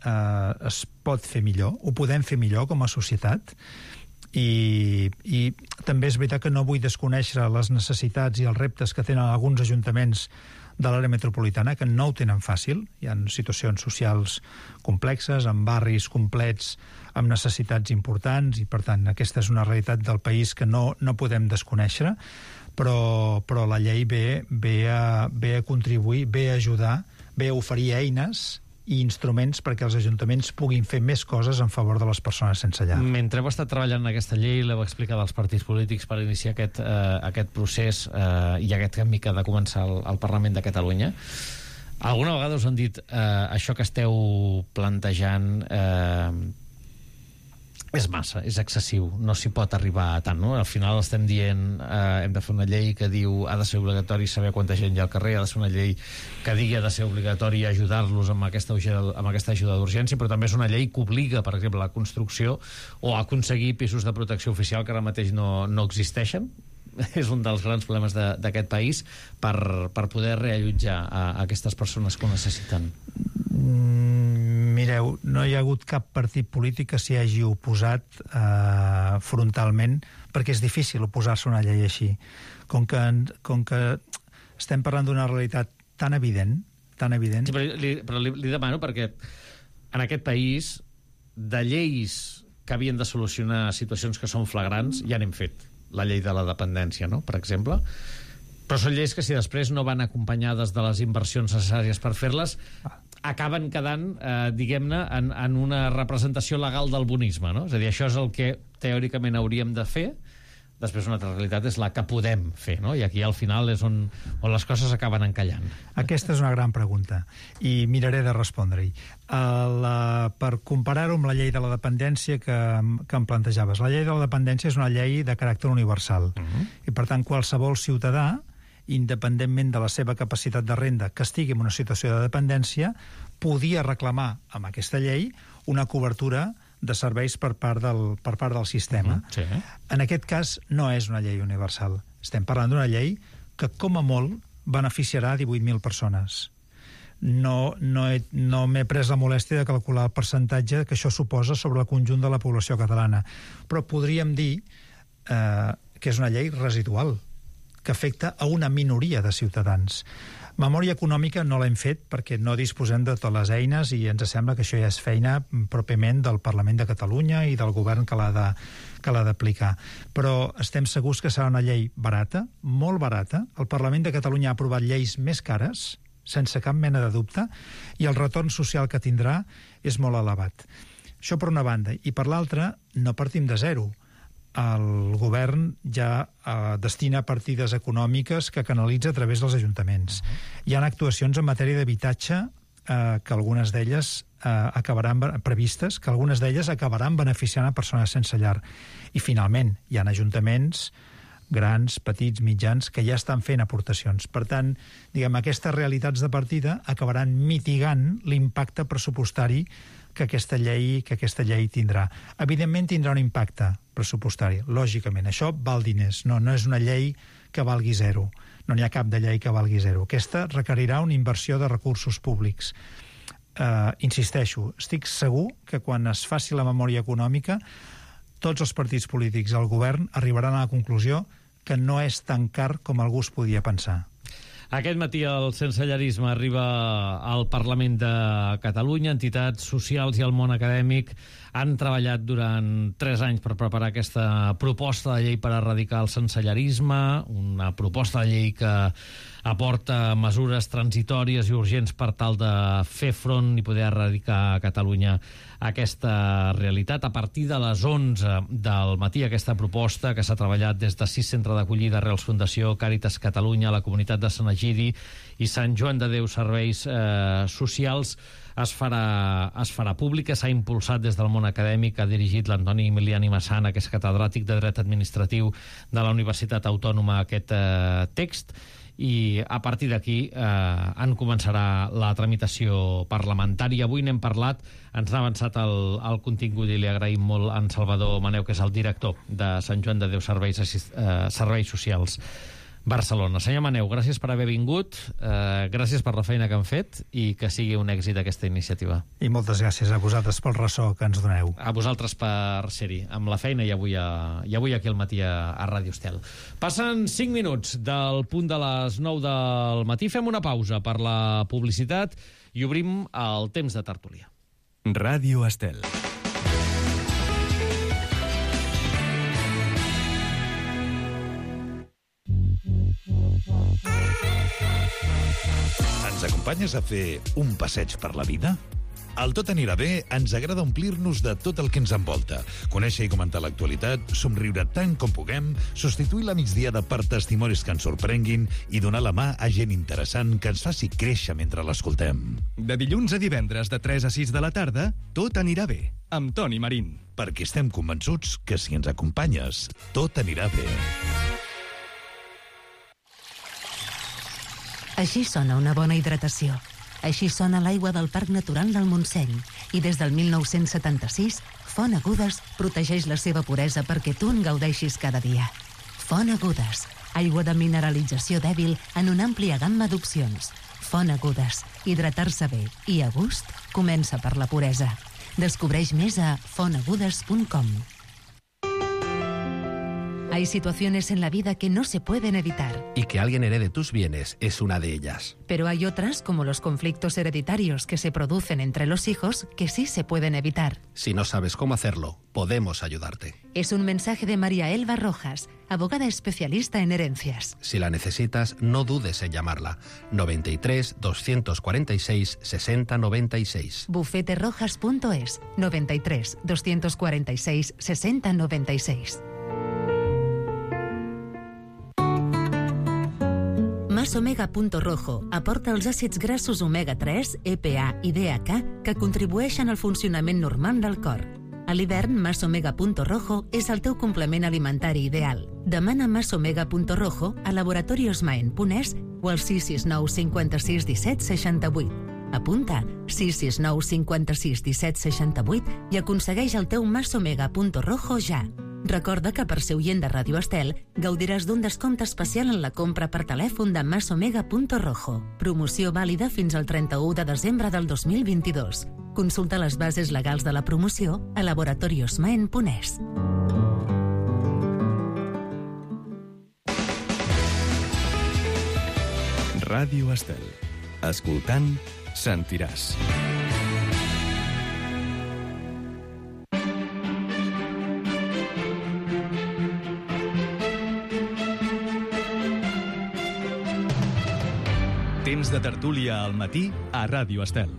es pot fer millor, ho podem fer millor com a societat, i també és veritat que no vull desconèixer les necessitats i els reptes que tenen alguns ajuntaments de l'àrea metropolitana, que no ho tenen fàcil. Hi ha situacions socials complexes, amb barris complets, amb necessitats importants, i per tant aquesta és una realitat del país que no podem desconèixer, però la llei ve a contribuir, ve a ajudar, ve a oferir eines i instruments perquè els ajuntaments puguin fer més coses en favor de les persones sense llar. Mentre heu estat treballant en aquesta llei, l'heu explicat als partits polítics per iniciar aquest procés i aquest canvi que ha de començar al Parlament de Catalunya, alguna vegada us han dit això que esteu plantejant és massa, és excessiu, no s'hi pot arribar a tant, no? Al final estem dient hem de fer una llei que diu ha de ser obligatori saber quanta gent hi ha al carrer, ha de ser una llei que digui ha de ser obligatori ajudar-los amb aquesta ajuda d'urgència, però també és una llei que obliga, per exemple, la construcció o a aconseguir pisos de protecció oficial que ara mateix no existeixen. És un dels grans problemes d'aquest país per poder reallotjar a aquestes persones que ho necessiten. Mireu, no hi ha hagut cap partit polític que s'hi hagi oposat frontalment, perquè és difícil oposar-se a una llei així. Com que estem parlant d'una realitat tan evident... Sí, però li demano perquè en aquest país de lleis que havien de solucionar situacions que són flagrants ja n'hem fet. La llei de la dependència, no?, per exemple. Però són lleis que si després no van acompanyades de les inversions necessàries per fer-les, acaben quedant, diguem-ne, en una representació legal del bonisme, no? És a dir, això és el que teòricament hauríem de fer, després una altra realitat és la que podem fer, no? I aquí al final és on les coses acaben encallant. Aquesta és una gran pregunta i miraré de respondre-hi. Per comparar-ho amb la llei de la dependència que em plantejaves, la llei de la dependència és una llei de caràcter universal i per tant qualsevol ciutadà, independentment de la seva capacitat de renda, que estigui en una situació de dependència, podia reclamar amb aquesta llei una cobertura de serveis per part del sistema. Sí. En aquest cas no és una llei universal. Estem parlant d'una llei que com a molt beneficiarà 18.000 persones. No m'he pres la molèstia de calcular el percentatge que això suposa sobre el conjunt de la població catalana, però podríem dir que és una llei residual, que afecta a una minoria de ciutadans. Memòria econòmica no l'hem fet perquè no disposem de totes les eines i ens sembla que això ja és feina pròpiament del Parlament de Catalunya i del govern que l'ha d'aplicar. Però estem segurs que serà una llei barata, molt barata. El Parlament de Catalunya ha aprovat lleis més cares, sense cap mena de dubte, i el retorn social que tindrà és molt elevat. Això per una banda. I per l'altra, no partim de zero. El govern ja destina partides econòmiques que canalitza a través dels ajuntaments. Hi ha actuacions en matèria d'habitatge que algunes d'elles acabaran previstes, que algunes d'elles acabaran beneficiant a persones sense llar. I finalment, hi ha ajuntaments grans, petits, mitjans, que ja estan fent aportacions. Per tant, aquestes realitats de partida acabaran mitigant l'impacte pressupostari que aquesta llei tindrà. Evidentment tindrà un impacte pressupostari, lògicament. Això val diners, no és una llei que valgui zero. No n'hi ha cap de llei que valgui zero. Aquesta requerirà una inversió de recursos públics. Insisteixo, estic segur que quan es faci la memòria econòmica tots els partits polítics al govern arribaran a la conclusió que no és tan car com algú es podia pensar. Aquest matí el sensellarisme arriba al Parlament de Catalunya. Entitats socials i el món acadèmic han treballat durant 3 anys per preparar aquesta proposta de llei per erradicar el sensellarisme, una proposta de llei que aporta mesures transitòries i urgents per tal de fer front i poder erradicar a Catalunya aquesta realitat. A partir de les 11 del matí, aquesta proposta que s'ha treballat des de 6 centres d'acollida, Arrels Fundació, Càritas Catalunya, la comunitat de Sant Egidi i Sant Joan de Déu Serveis Socials, es farà pública. S'ha impulsat des del món acadèmic, ha dirigit l'Antoni Emiliani Massana, que és catedràtic de Dret Administratiu de la Universitat Autònoma, aquest text, i a partir d'aquí en començarà la tramitació parlamentària. Avui n'hem parlat, ens ha avançat el contingut i li agraïm molt a en Salvador Maneu, que és el director de Sant Joan de Déu Serveis Socials. Barcelona. Senyor Maneu, gràcies per haver vingut, gràcies per la feina que han fet i que sigui un èxit aquesta iniciativa. I moltes gràcies a vosaltres pel ressò que ens doneu. A vosaltres per ser-hi, amb la feina i avui aquí al matí a Ràdio Estel. Passen 5 minuts del punt de les 9 del matí. Fem una pausa per la publicitat i obrim el temps de tertúlia. Ràdio Estel. Ens acompanyes a fer un passeig per la vida? Al Tot anirà bé ens agrada omplir-nos de tot el que ens envolta, conèixer i comentar l'actualitat, somriure tant com puguem, substituir la migdiada per testimonis que ens sorprenguin i donar la mà a gent interessant que ens faci créixer mentre l'escoltem. De dilluns a divendres de 3 a 6 de la tarda, Tot anirà bé, amb Toni Marín. Perquè estem convençuts que si ens acompanyes, tot anirà bé. Així sona una bona hidratació. Així sona l'aigua del Parc Natural del Montseny. I des del 1976, Font Agudes protegeix la seva puresa perquè tu en gaudeixis cada dia. Font Agudes, aigua de mineralització dèbil en una àmplia gamma d'opcions. Font Agudes, hidratar-se bé i a gust comença per la puresa. Descobreix més a fontagudes.com. Hay situaciones en la vida que no se pueden evitar. Y que alguien herede tus bienes es una de ellas. Pero hay otras, como los conflictos hereditarios que se producen entre los hijos, que sí se pueden evitar. Si no sabes cómo hacerlo, podemos ayudarte. Es un mensaje de María Elba Rojas, abogada especialista en herencias. Si la necesitas, no dudes en llamarla. 93 246 60 96. Bufeterojas.es 93 246 60 96. Masomega.rojo aporta els àcids grassos omega-3, EPA i DHA que contribueixen al funcionament normal del cor. A l'hivern, Masomega.rojo és el teu complement alimentari ideal. Demana Masomega.rojo a laboratoriosmaen.es o al 669 56 17 68. Apunta 669 56 17 68 i aconsegueix el teu Masomega.rojo ja. Recorda que per ser oient de Ràdio Estel gaudiràs d'un descompte especial en la compra per telèfon de Masomega.rojo. Promoció vàlida fins al 31 de desembre del 2022. Consulta les bases legals de la promoció a laboratoriosmaen.es. Ràdio Estel. Escoltant, sentiràs. Temps de tertúlia al matí a Ràdio Estel.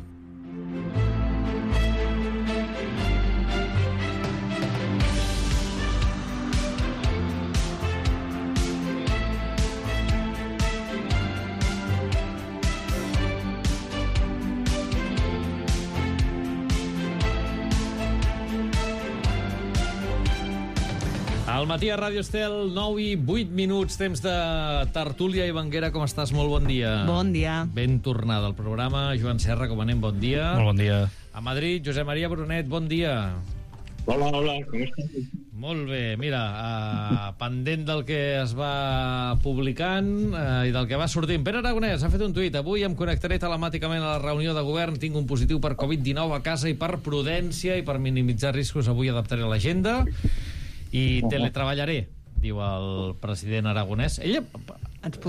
Al matí a Ràdio Estel, 9 i 8 minuts, temps de tertúlia. i Vanguera, com estàs? Molt bon dia. Bon dia. Ben tornada al programa. Joan Serra, com anem? Bon dia. Molt bon dia. A Madrid, Josep Maria Brunet, bon dia. Hola, com estàs? Molt bé, mira, pendent del que es va publicant i del que va sortint. Pere Aragonès ha fet un tuit: avui em connectaré telemàticament a la reunió de govern, tinc un positiu per Covid-19 a casa i per prudència i per minimitzar riscos avui adaptaré l'agenda i teletreballaré, diu el president aragonès. Ella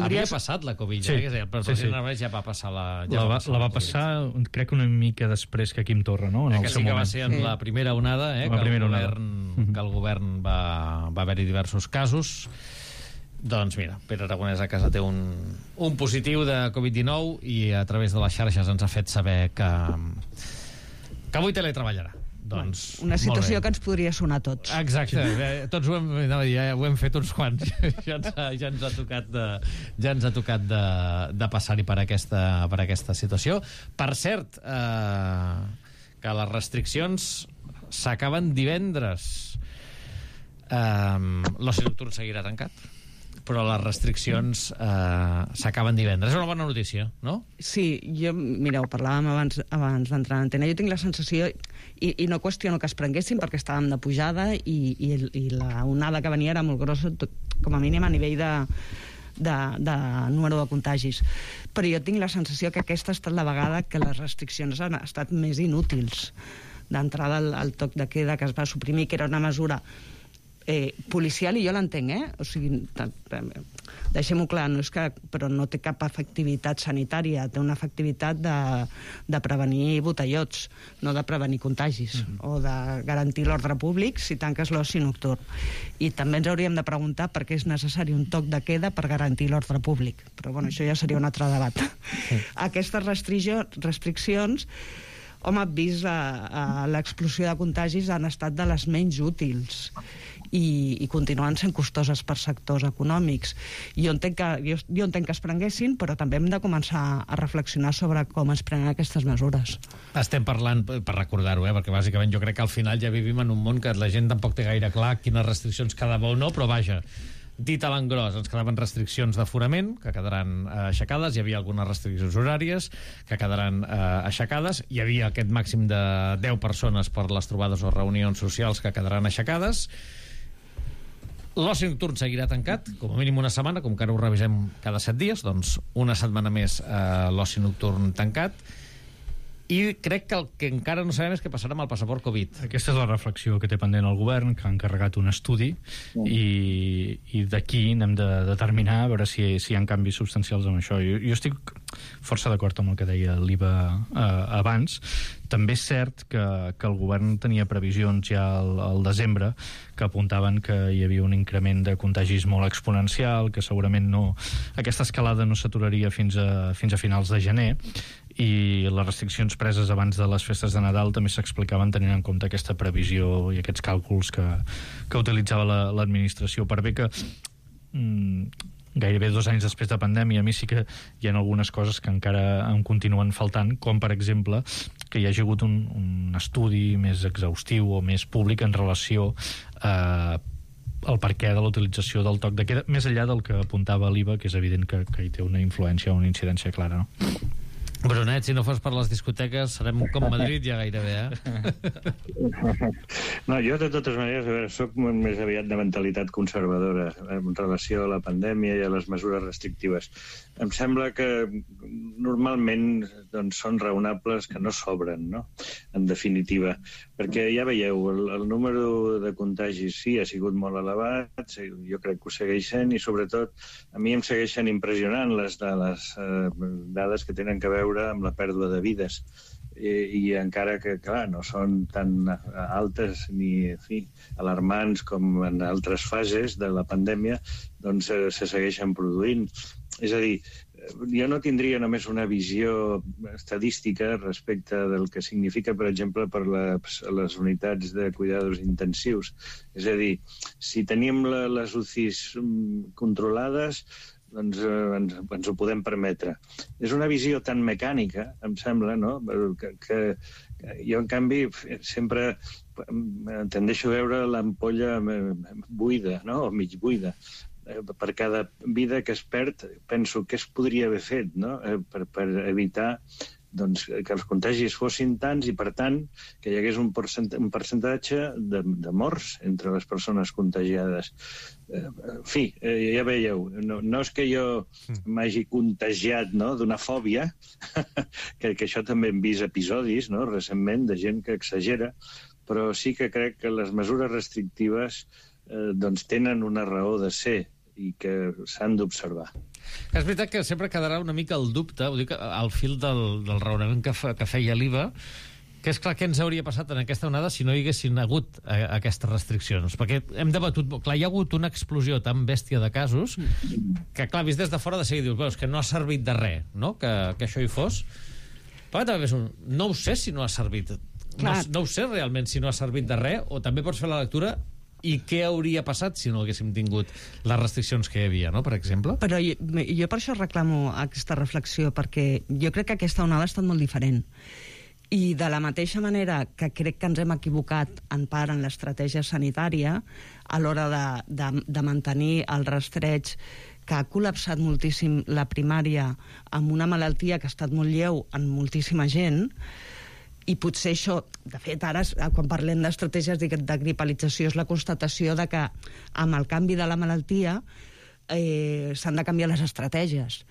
havia passat la Covid, sí, el president aragonès ja va passar la... La va passar, crec que una mica després que Quim Torra, no? Que sí que va ser en la primera onada, que el govern va haver-hi diversos casos. Doncs mira, Pere Aragonès a casa té un positiu de Covid-19 i a través de les xarxes ens ha fet saber que avui teletreballarà. Doncs, una situació que ens podria sonar a tots. Exacte, tots ho hem fet uns quants. ja ens ha tocat de passar-hi per aquesta situació. Per cert, que les restriccions s'acaben divendres. L'oci nocturn seguirà tancat, però les restriccions s'acaben divendres. És una bona notícia, no? Sí, mireu, parlàvem abans d'entrar en antena. Jo tinc la sensació, i no qüestiono que es prenguessin perquè estàvem de pujada i la onada que venia era molt grossa, com a mínim a nivell de número de contagis. Però jo tinc la sensació que aquesta ha estat la vegada que les restriccions han estat més inútils. D'entrada, el toc de queda que es va suprimir, que era una mesura policial, i jo l'entenc, o sigui, deixem-ho clar, però no té cap efectivitat sanitària, té una efectivitat de prevenir botellots, no de prevenir contagis, o de garantir l'ordre públic si tanques l'oci nocturn. I també ens hauríem de preguntar per què és necessari un toc de queda per garantir l'ordre públic. Però bueno, això ja seria un altre debat. Aquestes restriccions, home, vist l'explosió de contagis, han estat de les menys útils i continuen sent costoses per sectors econòmics. Jo entenc que es prenguessin, però també hem de començar a reflexionar sobre com es prenen aquestes mesures. Estem parlant, per recordar-ho, perquè bàsicament jo crec que al final ja vivim en un món que la gent tampoc té gaire clar quines restriccions quedava o no, però vaja, dit a l'engròs, ens quedaven restriccions d'aforament, que quedaran aixecades, hi havia algunes restriccions horàries, que quedaran aixecades, hi havia aquest màxim de 10 persones per les trobades o reunions socials que quedaran aixecades. L'oci nocturn seguirà tancat, com a mínim una setmana, com que ara ho revisem cada 7 dies, doncs una setmana més l'oci nocturn tancat. I crec que el que encara no sabem és què passarà amb el passaport Covid. Aquesta és la reflexió que té pendent el govern, que ha encarregat un estudi, i d'aquí n'hem de determinar a veure si hi ha canvis substancials amb això. Jo estic força d'acord amb el que deia l'Iva abans. També és cert que el govern tenia previsions ja al desembre que apuntaven que hi havia un increment de contagis molt exponencial, que segurament aquesta escalada no s'aturaria fins a finals de gener, i les restriccions preses abans de les festes de Nadal també s'explicaven tenint en compte aquesta previsió i aquests càlculs que utilitzava l'administració. Per bé que gairebé 2 anys després de pandèmia, a mi sí que hi ha algunes coses que encara em continuen faltant, com per exemple que hi hagi hagut un estudi més exhaustiu o més públic en relació al perquè de la utilització del toc de queda, més enllà del que apuntava l'Iva, que és evident que hi té una influència o una incidència clara, no? Brunet, si no fos per les discoteques serem com Madrid ja gairebé, No, jo de totes maneres soc més aviat de mentalitat conservadora en relació a la pandèmia i a les mesures restrictives. Em sembla que normalment són raonables, que no sobren, no? En definitiva, perquè ja veieu, el número de contagis sí ha sigut molt elevat, jo crec que ho segueix sent, i sobretot a mi em segueixen impressionant les dades que tenen que veure amb la pèrdua de vides, i encara que, clar, no són tan altes ni alarmants com en altres fases de la pandèmia, doncs se segueixen produint. És a dir, jo no tindria només una visió estadística respecte del que significa, per exemple, per les unitats de cuidados intensius. És a dir, si tenim les UCIs controlades, doncs ens ho podem permetre. És una visió tan mecànica, em sembla, no? Que jo, en canvi, sempre tendeixo a veure l'ampolla buida, no? O mig buida. Per cada vida que es perd, penso què es podria haver fet, no? Per evitar que els contagis fossin tants i, per tant, que hi hagués un percentatge de morts entre les persones contagiades. En fi, ja veieu, no és que jo m'hagi contagiat d'una fòbia, que això també hem vist episodis recentment de gent que exagera, però sí que crec que les mesures restrictives tenen una raó de ser i que s'han d'observar. És veritat que sempre quedarà una mica el dubte, ho dic al fil del raonament que feia l'Iva, que és clar què ens hauria passat en aquesta onada si no hi haguessin hagut aquestes restriccions, perquè hem debatut, clar, hi ha hagut una explosió tan bèstia de casos que, clar, vist des de fora de seguida dius, que no ha servit de res, no?, que això hi fos. Però també no ho sé si no ha servit, no ho sé realment si no ha servit de res, o també pots fer la lectura i què hauria passat si no haguéssim tingut les restriccions que hi havia, no?, per exemple. Però jo per això reclamo aquesta reflexió, perquè jo crec que aquesta onada ha estat molt diferent. I de la mateixa manera que crec que ens hem equivocat en part en l'estratègia sanitària a l'hora de mantenir el rastreig, que ha col·lapsat moltíssim la primària amb una malaltia que ha estat molt lleu en moltíssima gent, i potser això, de fet, ara, quan parlem d'estratègies de gripalització, és la constatació de que amb el canvi de la malaltia s'han de canviar les estratègies.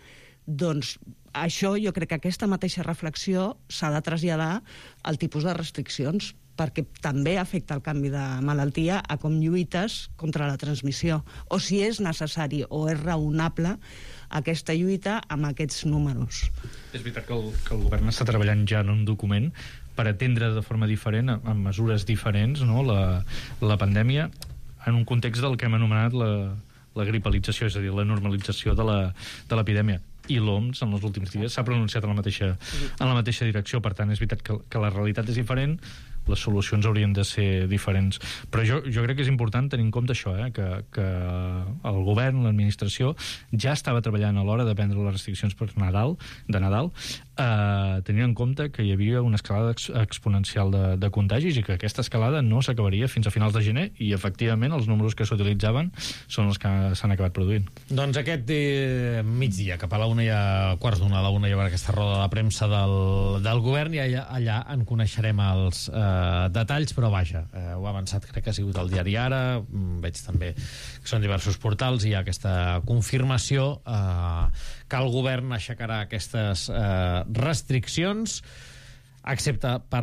Doncs això, jo crec que aquesta mateixa reflexió s'ha de traslladar al tipus de restriccions, perquè també afecta el canvi de malaltia a com lluites contra la transmissió, o si és necessari o és raonable aquesta lluita amb aquests números. És veritat que el govern està treballant ja en un document per atendre de forma diferent, amb mesures diferents, no? la pandèmia, en un context del que hem anomenat la gripalització, és a dir, la normalització de l'epidèmia. I l'OMS, en els últims dies, s'ha pronunciat en la mateixa direcció. Per tant, és veritat que la realitat és diferent, les solucions haurien de ser diferents. Però jo crec que és important tenir en compte això, que el govern, l'administració, ja estava treballant a l'hora de prendre les restriccions de Nadal, tenint en compte que hi havia una escalada exponencial de contagis i que aquesta escalada no s'acabaria fins a finals de gener, i efectivament els números que s'utilitzaven són els que s'han acabat produint. Doncs aquest migdia, cap a la 1 i a quarts d'una, a la 1 hi haurà aquesta roda de premsa del govern, i allà en coneixerem els detalls, però vaja, ho ha avançat, crec que ha sigut el diari Ara, veig també que són diversos portals, i hi ha aquesta confirmació que el govern aixecarà aquestes restriccions, excepte per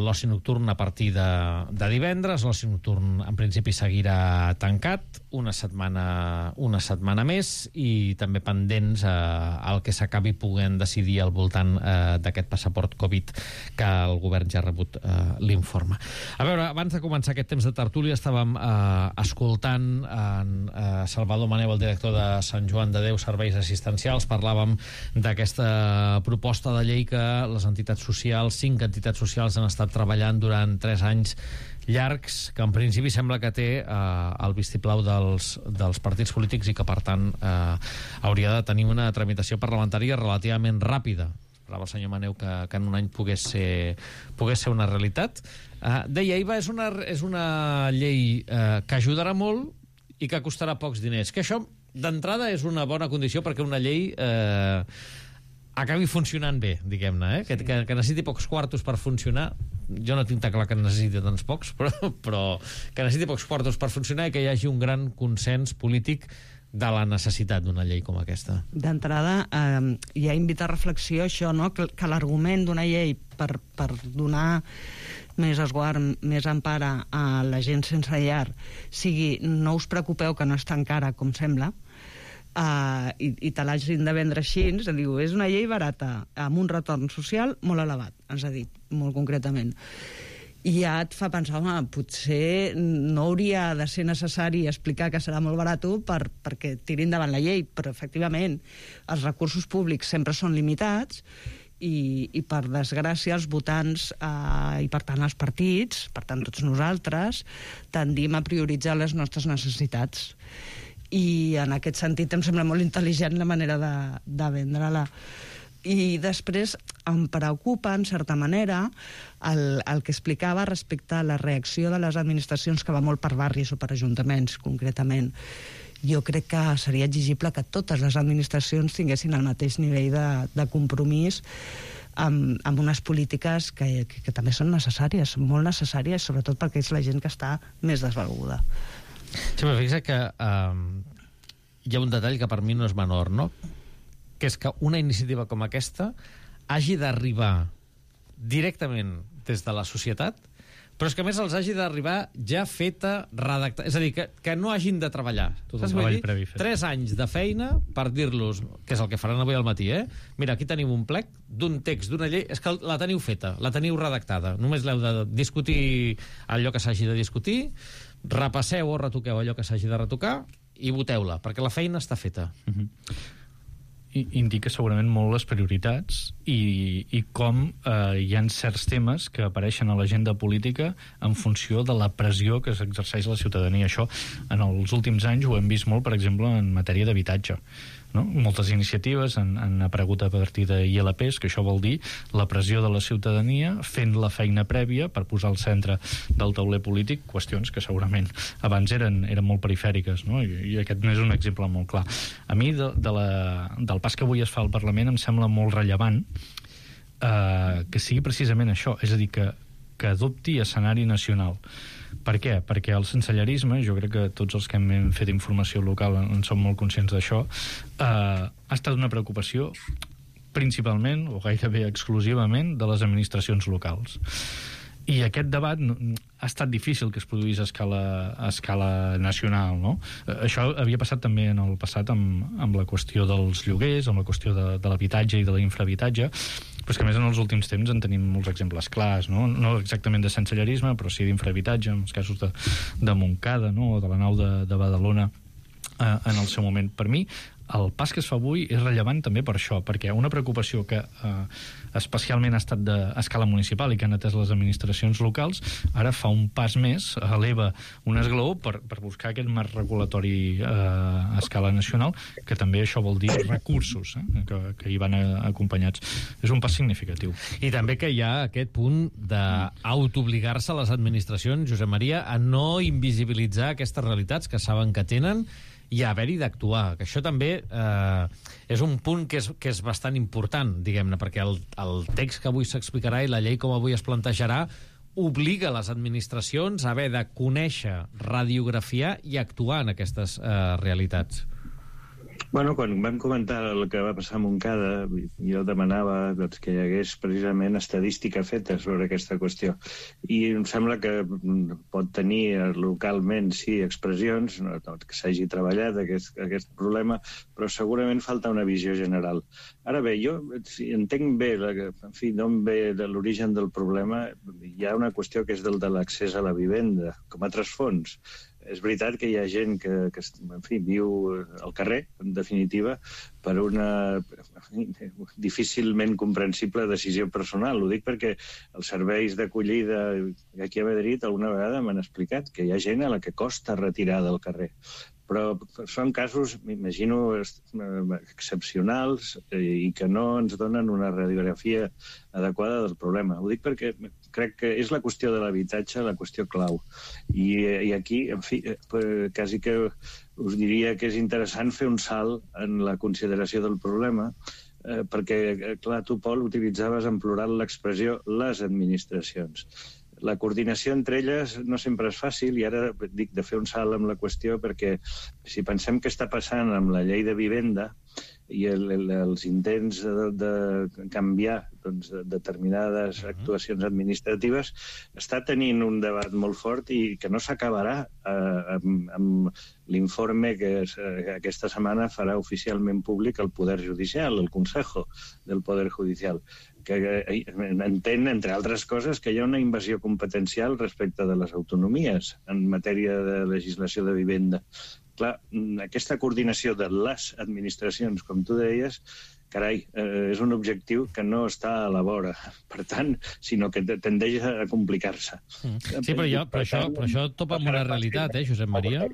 l'oci nocturn a partir de divendres. L'oci nocturn en principi seguirà tancat una setmana més, i també pendents el que s'acabi podent decidir al voltant d'aquest passaport Covid, que el govern ja ha rebut l'informe. A veure, abans de començar aquest temps de tertúlia estàvem escoltant en Salvador Maneu, el director de Sant Joan de Déu Serveis Assistencials. Parlàvem d'aquesta proposta de llei que les entitats socials, 5 entitats socials, han estat treballant durant 3 anys llargs, que en principi sembla que té el vistiplau dels partits polítics, i que per tant hauria de tenir una tramitació parlamentària relativament ràpida. Parlava el senyor Maneu que en un any pogués ser una realitat. Deia, Iva, és una llei que ajudarà molt i que costarà pocs diners, que això d'entrada és una bona condició perquè una llei acabi funcionant bé, diguem-ne, que necessiti pocs quartos per funcionar. Jo no tinc tan clar que necessiti tants pocs, però que necessiti pocs quartos per funcionar, i que hi hagi un gran consens polític de la necessitat d'una llei com aquesta. D'entrada, ja invita a reflexió això, no? Que l'argument d'una llei per donar més esguard, més empara a la gent sense llar sigui: no us preocupeu que no és tan cara com sembla, i te l'hagin de vendre així. Diu, és una llei barata amb un retorn social molt elevat, ens ha dit molt concretament, i ja et fa pensar, home, potser no hauria de ser necessari explicar que serà molt barat perquè tiri endavant la llei, però efectivament els recursos públics sempre són limitats, i per desgràcia els votants i per tant els partits, per tant tots nosaltres, tendim a prioritzar les nostres necessitats. I en aquest sentit em sembla molt intel·ligent la manera de vendre-la. I després em preocupa, en certa manera, el que explicava respecte a la reacció de les administracions, que va molt per barris o per ajuntaments, concretament. Jo crec que seria exigible que totes les administracions tinguessin el mateix nivell de compromís amb unes polítiques que també són necessàries, molt necessàries, sobretot perquè és la gent que està més desvalguda. Sí, però fixa que hi ha un detall que per mi no és menor, no? Que és que una iniciativa com aquesta hagi d'arribar directament des de la societat, però és que a més els hagi d'arribar ja feta, redactada. És a dir, que no hagin de treballar. Tot el treball previ fet. 3 anys de feina per dir-los, que és el que faran avui al matí, mira, aquí tenim un plec d'un text, d'una llei, és que la teniu feta, la teniu redactada. Només l'heu de discutir allò que s'hagi de discutir, repasseu o retoqueu allò que s'hagi de retocar i voteu-la, perquè la feina està feta. Indica segurament molt les prioritats i com hi ha certs temes que apareixen a l'agenda política en funció de la pressió que s'exerceix la ciutadania. Això en els últims anys ho hem vist molt, per exemple, en matèria d'habitatge. No? Moltes iniciatives han aparegut a partir de ILPs, que això vol dir la pressió de la ciutadania fent la feina prèvia per posar al centre del tauler polític qüestions que segurament abans eren molt perifèriques, no? I aquest n'és un exemple molt clar. A mi del pas que avui es fa al Parlament em sembla molt rellevant que sigui precisament això, és a dir, que que adopti escenari nacional. Per què? Perquè el sensellerisme, jo crec que tots els que hem fet informació local en som molt conscients d'això, ha estat una preocupació principalment, o gairebé exclusivament, de les administracions locals. I aquest debat ha estat difícil que es produís a escala nacional, no? Això havia passat també en el passat amb la qüestió dels lloguers, amb la qüestió de l'habitatge i de l'infrahabitatge, però és que a més en els últims temps en tenim molts exemples clars, no exactament de sensellerisme, però sí d'infrahabitatge, en els casos de Montcada, no? O de la nau de Badalona en el seu moment. Per mi, el pas que es fa avui és rellevant també per això, perquè una preocupació que especialment ha estat d'escala municipal i que han atès les administracions locals, ara fa un pas més, eleva un esglaó per buscar aquest marc regulatori a escala nacional, que també això vol dir recursos que hi van acompanyats. És un pas significatiu. I també que hi ha aquest punt d'autoobligar-se a les administracions, Josep Maria, a no invisibilitzar aquestes realitats que saben que tenen i a haver-hi d'actuar, que això també és un punt que és bastant important, diguem-ne, perquè el text que avui s'explicarà i la llei com avui es plantejarà obliga les administracions a haver de conèixer, radiografiar i actuar en aquestes realitats. Bueno, quan vam comentar el que va passar a Montcada, jo demanava que hi hagués precisament estadística feta sobre aquesta qüestió. I em sembla que pot tenir localment, sí, expressions, que s'hagi treballat aquest problema, però segurament falta una visió general. Ara bé, jo entenc bé, d'on ve l'origen del problema. Hi ha una qüestió que és de l'accés a la vivenda, com a trasfons. És veritat que hi ha gent que viu al carrer, en definitiva, per una difícilment comprensible decisió personal. Ho dic perquè els serveis d'acollida aquí a Madrid alguna vegada m'han explicat que hi ha gent a la que costa retirar del carrer. Però són casos, m'imagino, excepcionals i que no ens donen una radiografia adequada del problema. Ho dic perquè crec que és la qüestió de l'habitatge la qüestió clau. I aquí, en fi, quasi que us diria que és interessant fer un salt en la consideració del problema, perquè, clar, tu, Pol, utilitzaves en plural l'expressió les administracions. La coordinació entre elles no sempre és fàcil, i ara dic de fer un salt amb la qüestió perquè si pensem què està passant amb la llei de vivenda i els intents de canviar determinades actuacions administratives, està tenint un debat molt fort i que no s'acabarà amb l'informe que aquesta setmana farà oficialment públic el Poder Judicial, el Consejo del Poder Judicial, que entén, entre altres coses, que hi ha una invasió competencial respecte de les autonomies en matèria de legislació de vivenda. Clar, aquesta coordinació de les administracions, com tu deies, carai, és un objectiu que no està a la vora, per tant, sinó que tendeix a complicar-se. Sí, però això topa amb una realitat, Josep Maria?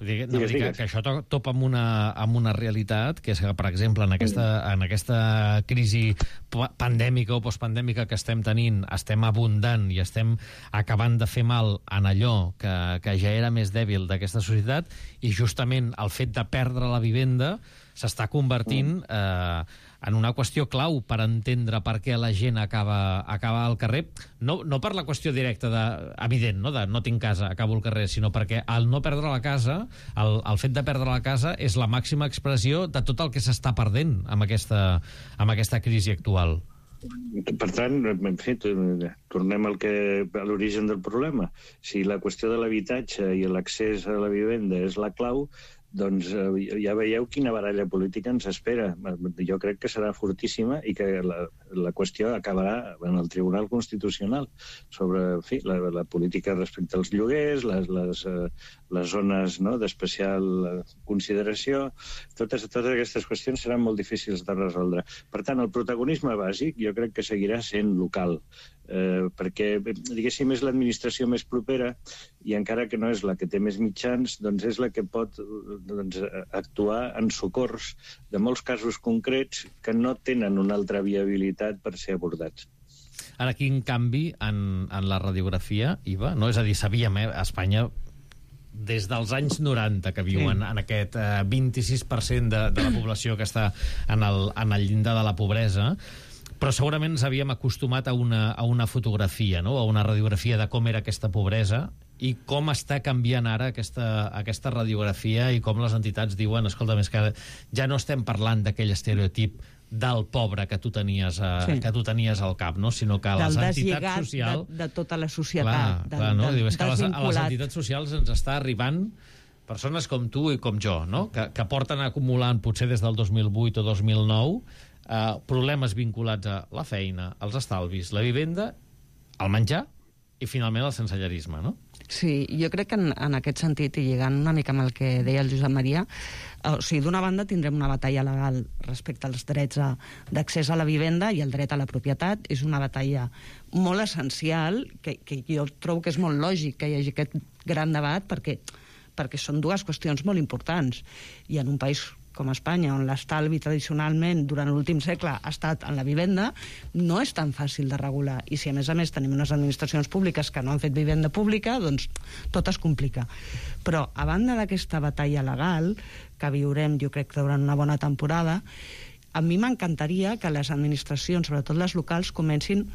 Digues. Que això topa amb una realitat, que és que, per exemple, en aquesta crisi pandèmica o postpandèmica que estem tenint, estem abundant i estem acabant de fer mal en allò que ja era més dèbil d'aquesta societat, i justament el fet de perdre la vivenda s'està convertint en una qüestió clau per entendre per què la gent acaba al carrer, no per la qüestió directa evident, de no tinc casa, acabo al carrer, sinó perquè el no perdre la casa, el fet de perdre la casa és la màxima expressió de tot el que s'està perdent amb aquesta crisi actual. Per tant, en fi, tornem a l'origen del problema. Si la qüestió de l'habitatge i l'accés a la vivenda és la clau, doncs ja veieu quina baralla política ens espera. Jo crec que serà fortíssima i que la qüestió acabarà en el Tribunal Constitucional sobre, en fi, la política respecte als lloguers, les zones d'especial consideració. Totes aquestes qüestions seran molt difícils de resoldre. Per tant, el protagonisme bàsic jo crec que seguirà sent local, perquè, diguéssim, és l'administració més propera i encara que no és la que té més mitjans, doncs és la que pot actuar en socors de molts casos concrets que no tenen una altra viabilitat per ser abordats. Ara, quin canvi en la radiografia, Iva? No? És a dir, sabíem, a Espanya, des dels anys 90 que viuen en aquest 26% de la població que està en el llindar de la pobresa, Però segurament ens havíem acostumat a una fotografia, no? A una radiografia de com era aquesta pobresa i com està canviant ara aquesta radiografia i com les entitats diuen, escolta, més que ja no estem parlant d'aquell estereotip del pobre que tu tenies al cap, no? Sinó que les entitats socials... de tota la societat. Clar, no? És que a les entitats socials ens està arribant persones com tu i com jo, no? Que porten acumulant, potser des del 2008 o 2009, problemes vinculats a la feina, als estalvis, la vivenda, el menjar i finalment el sensellarisme, no? Sí, jo crec que en aquest sentit, i lligant una mica amb el que deia el Josep Maria, o sigui, d'una banda tindrem una batalla legal respecte als drets d'accés a la vivenda i el dret a la propietat. És una batalla molt essencial, que jo trobo que és molt lògic que hi hagi aquest gran debat, perquè són dues qüestions molt importants. I en un país com Espanya, on l'estalvi tradicionalment durant l'últim segle ha estat en la vivenda, no és tan fàcil de regular. I si a més tenim unes administracions públiques que no han fet vivenda pública, doncs tot es complica. Però a banda d'aquesta batalla legal que viurem, jo crec, durant una bona temporada, a mi m'encantaria que les administracions, sobretot les locals, comencin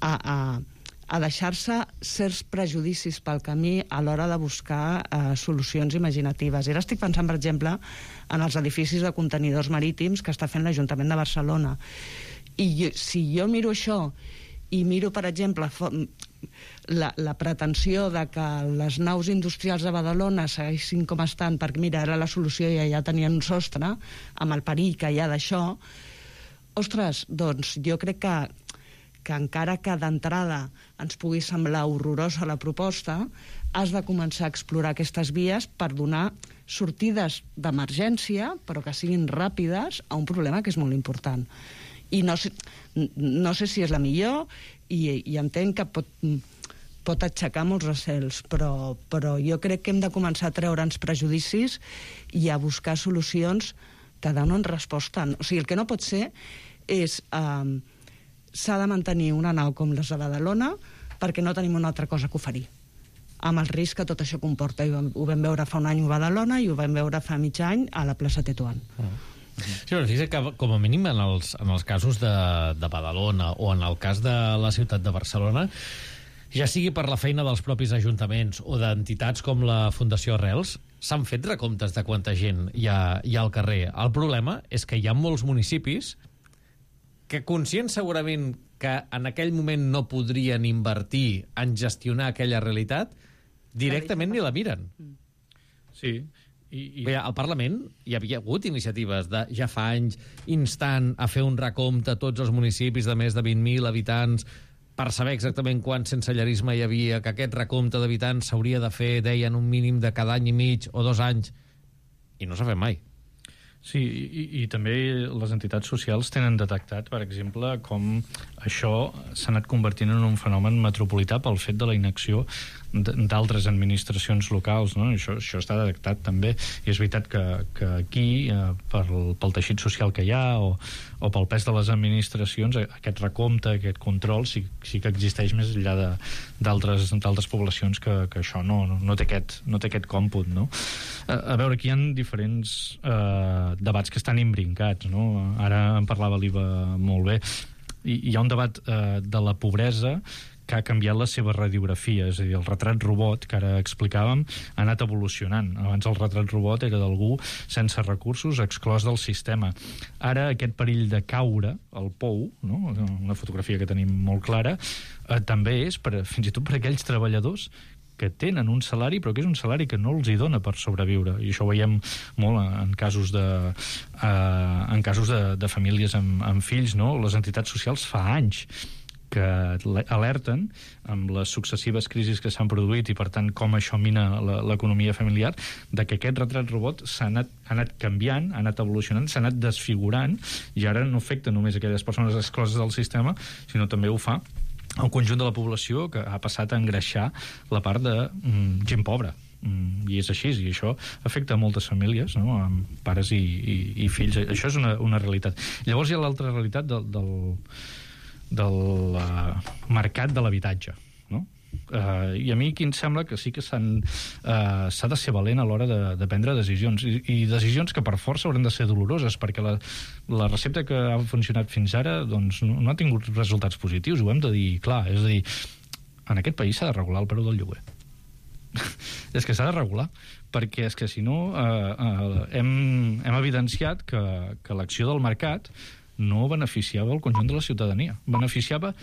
a deixar-se certs prejudicis pel camí a l'hora de buscar solucions imaginatives. I ara estic pensant, per exemple, en els edificis de contenidors marítims que està fent l'Ajuntament de Barcelona. I si jo miro això i miro, per exemple, la pretensió de que les naus industrials de Badalona segueixin com estan, perquè mira, era la solució i ja tenien un sostre, amb el perill que hi ha d'això, ostres, doncs jo crec que encara que d'entrada ens pugui semblar horrorosa la proposta, has de començar a explorar aquestes vies per donar sortides d'emergència, però que siguin ràpides, a un problema que és molt important. I no sé si és la millor, i entenc que pot aixecar molts recels, però jo crec que hem de començar a treure'ns prejudicis i a buscar solucions que donen resposta. O sigui, el que no pot ser és... s'ha de mantenir una nau com les de Badalona perquè no tenim una altra cosa que oferir, amb el risc que tot això comporta. Ho vam veure fa un any a Badalona i ho vam veure fa mig any a la plaça Tetuan. Sí, però fixa't que com a mínim en els casos de Badalona o en el cas de la ciutat de Barcelona, ja sigui per la feina dels propis ajuntaments o d'entitats com la Fundació Arrels, s'han fet recomptes de quanta gent hi ha al carrer. El problema és que hi ha molts municipis que, conscients segurament que en aquell moment no podrien invertir en gestionar aquella realitat, directament ni la miren. Sí. Bé, al Parlament hi havia hagut iniciatives de ja fa anys instant a fer un recompte a tots els municipis de més de 20.000 habitants per saber exactament quant sensellarisme hi havia, que aquest recompte d'habitants s'hauria de fer, deien, un mínim de cada any i mig o 2 anys, i no s'ha fet mai. Sí, i també les entitats socials tenen detectat, per exemple, com això s'ha anat convertint en un fenomen metropolità pel fet de la inacció d'altres administracions locals, no? Això està detectat també, i és veritat que aquí, pel teixit social que hi ha o pel pes de les administracions, aquest recompte, aquest control sí que existeix més enllà d'altres poblacions que això no té aquest còmput, no? A veure, aquí hi ha diferents debats que estan imbrincats, no? Ara en parlava l'Iva molt bé. Hi ha un debat de la pobresa que ha canviat la seva radiografia, és a dir, el retrat robot que ara explicàvem ha anat evolucionant. Abans el retrat robot era d'algú sense recursos, exclòs del sistema. Ara aquest perill de caure al pou, no? Una fotografia que tenim molt clara, també és fins i tot per aquells treballadors que tenen un salari, però que és un salari que no els hi dona per sobreviure. I això ho veiem molt en casos de famílies amb fills, no? Les entitats socials fa anys que alerten amb les successives crisis que s'han produït i, per tant, com això mina l'economia familiar, de que aquest retrat robot ha anat canviant, ha anat evolucionant, s'ha anat desfigurant, i ara no afecta només aquelles persones excloses del sistema, sinó també ho fa el conjunt de la població, que ha passat a engreixar la part de gent pobra. I és així, i això afecta a moltes famílies, no? Amb pares i fills. Això és una realitat. Llavors hi ha l'altra realitat del mercat de l'habitatge, no? I a mi aquí em sembla que sí que s'ha de ser valent a l'hora de prendre decisions, i decisions que per força hauran de ser doloroses, perquè la recepta que ha funcionat fins ara doncs, no ha tingut resultats positius, ho hem de dir clar. És a dir, en aquest país s'ha de regular el preu del lloguer. És que s'ha de regular, perquè és que si no hem evidenciat que l'acció del mercat no beneficiava el conjunt de la ciutadania, beneficiava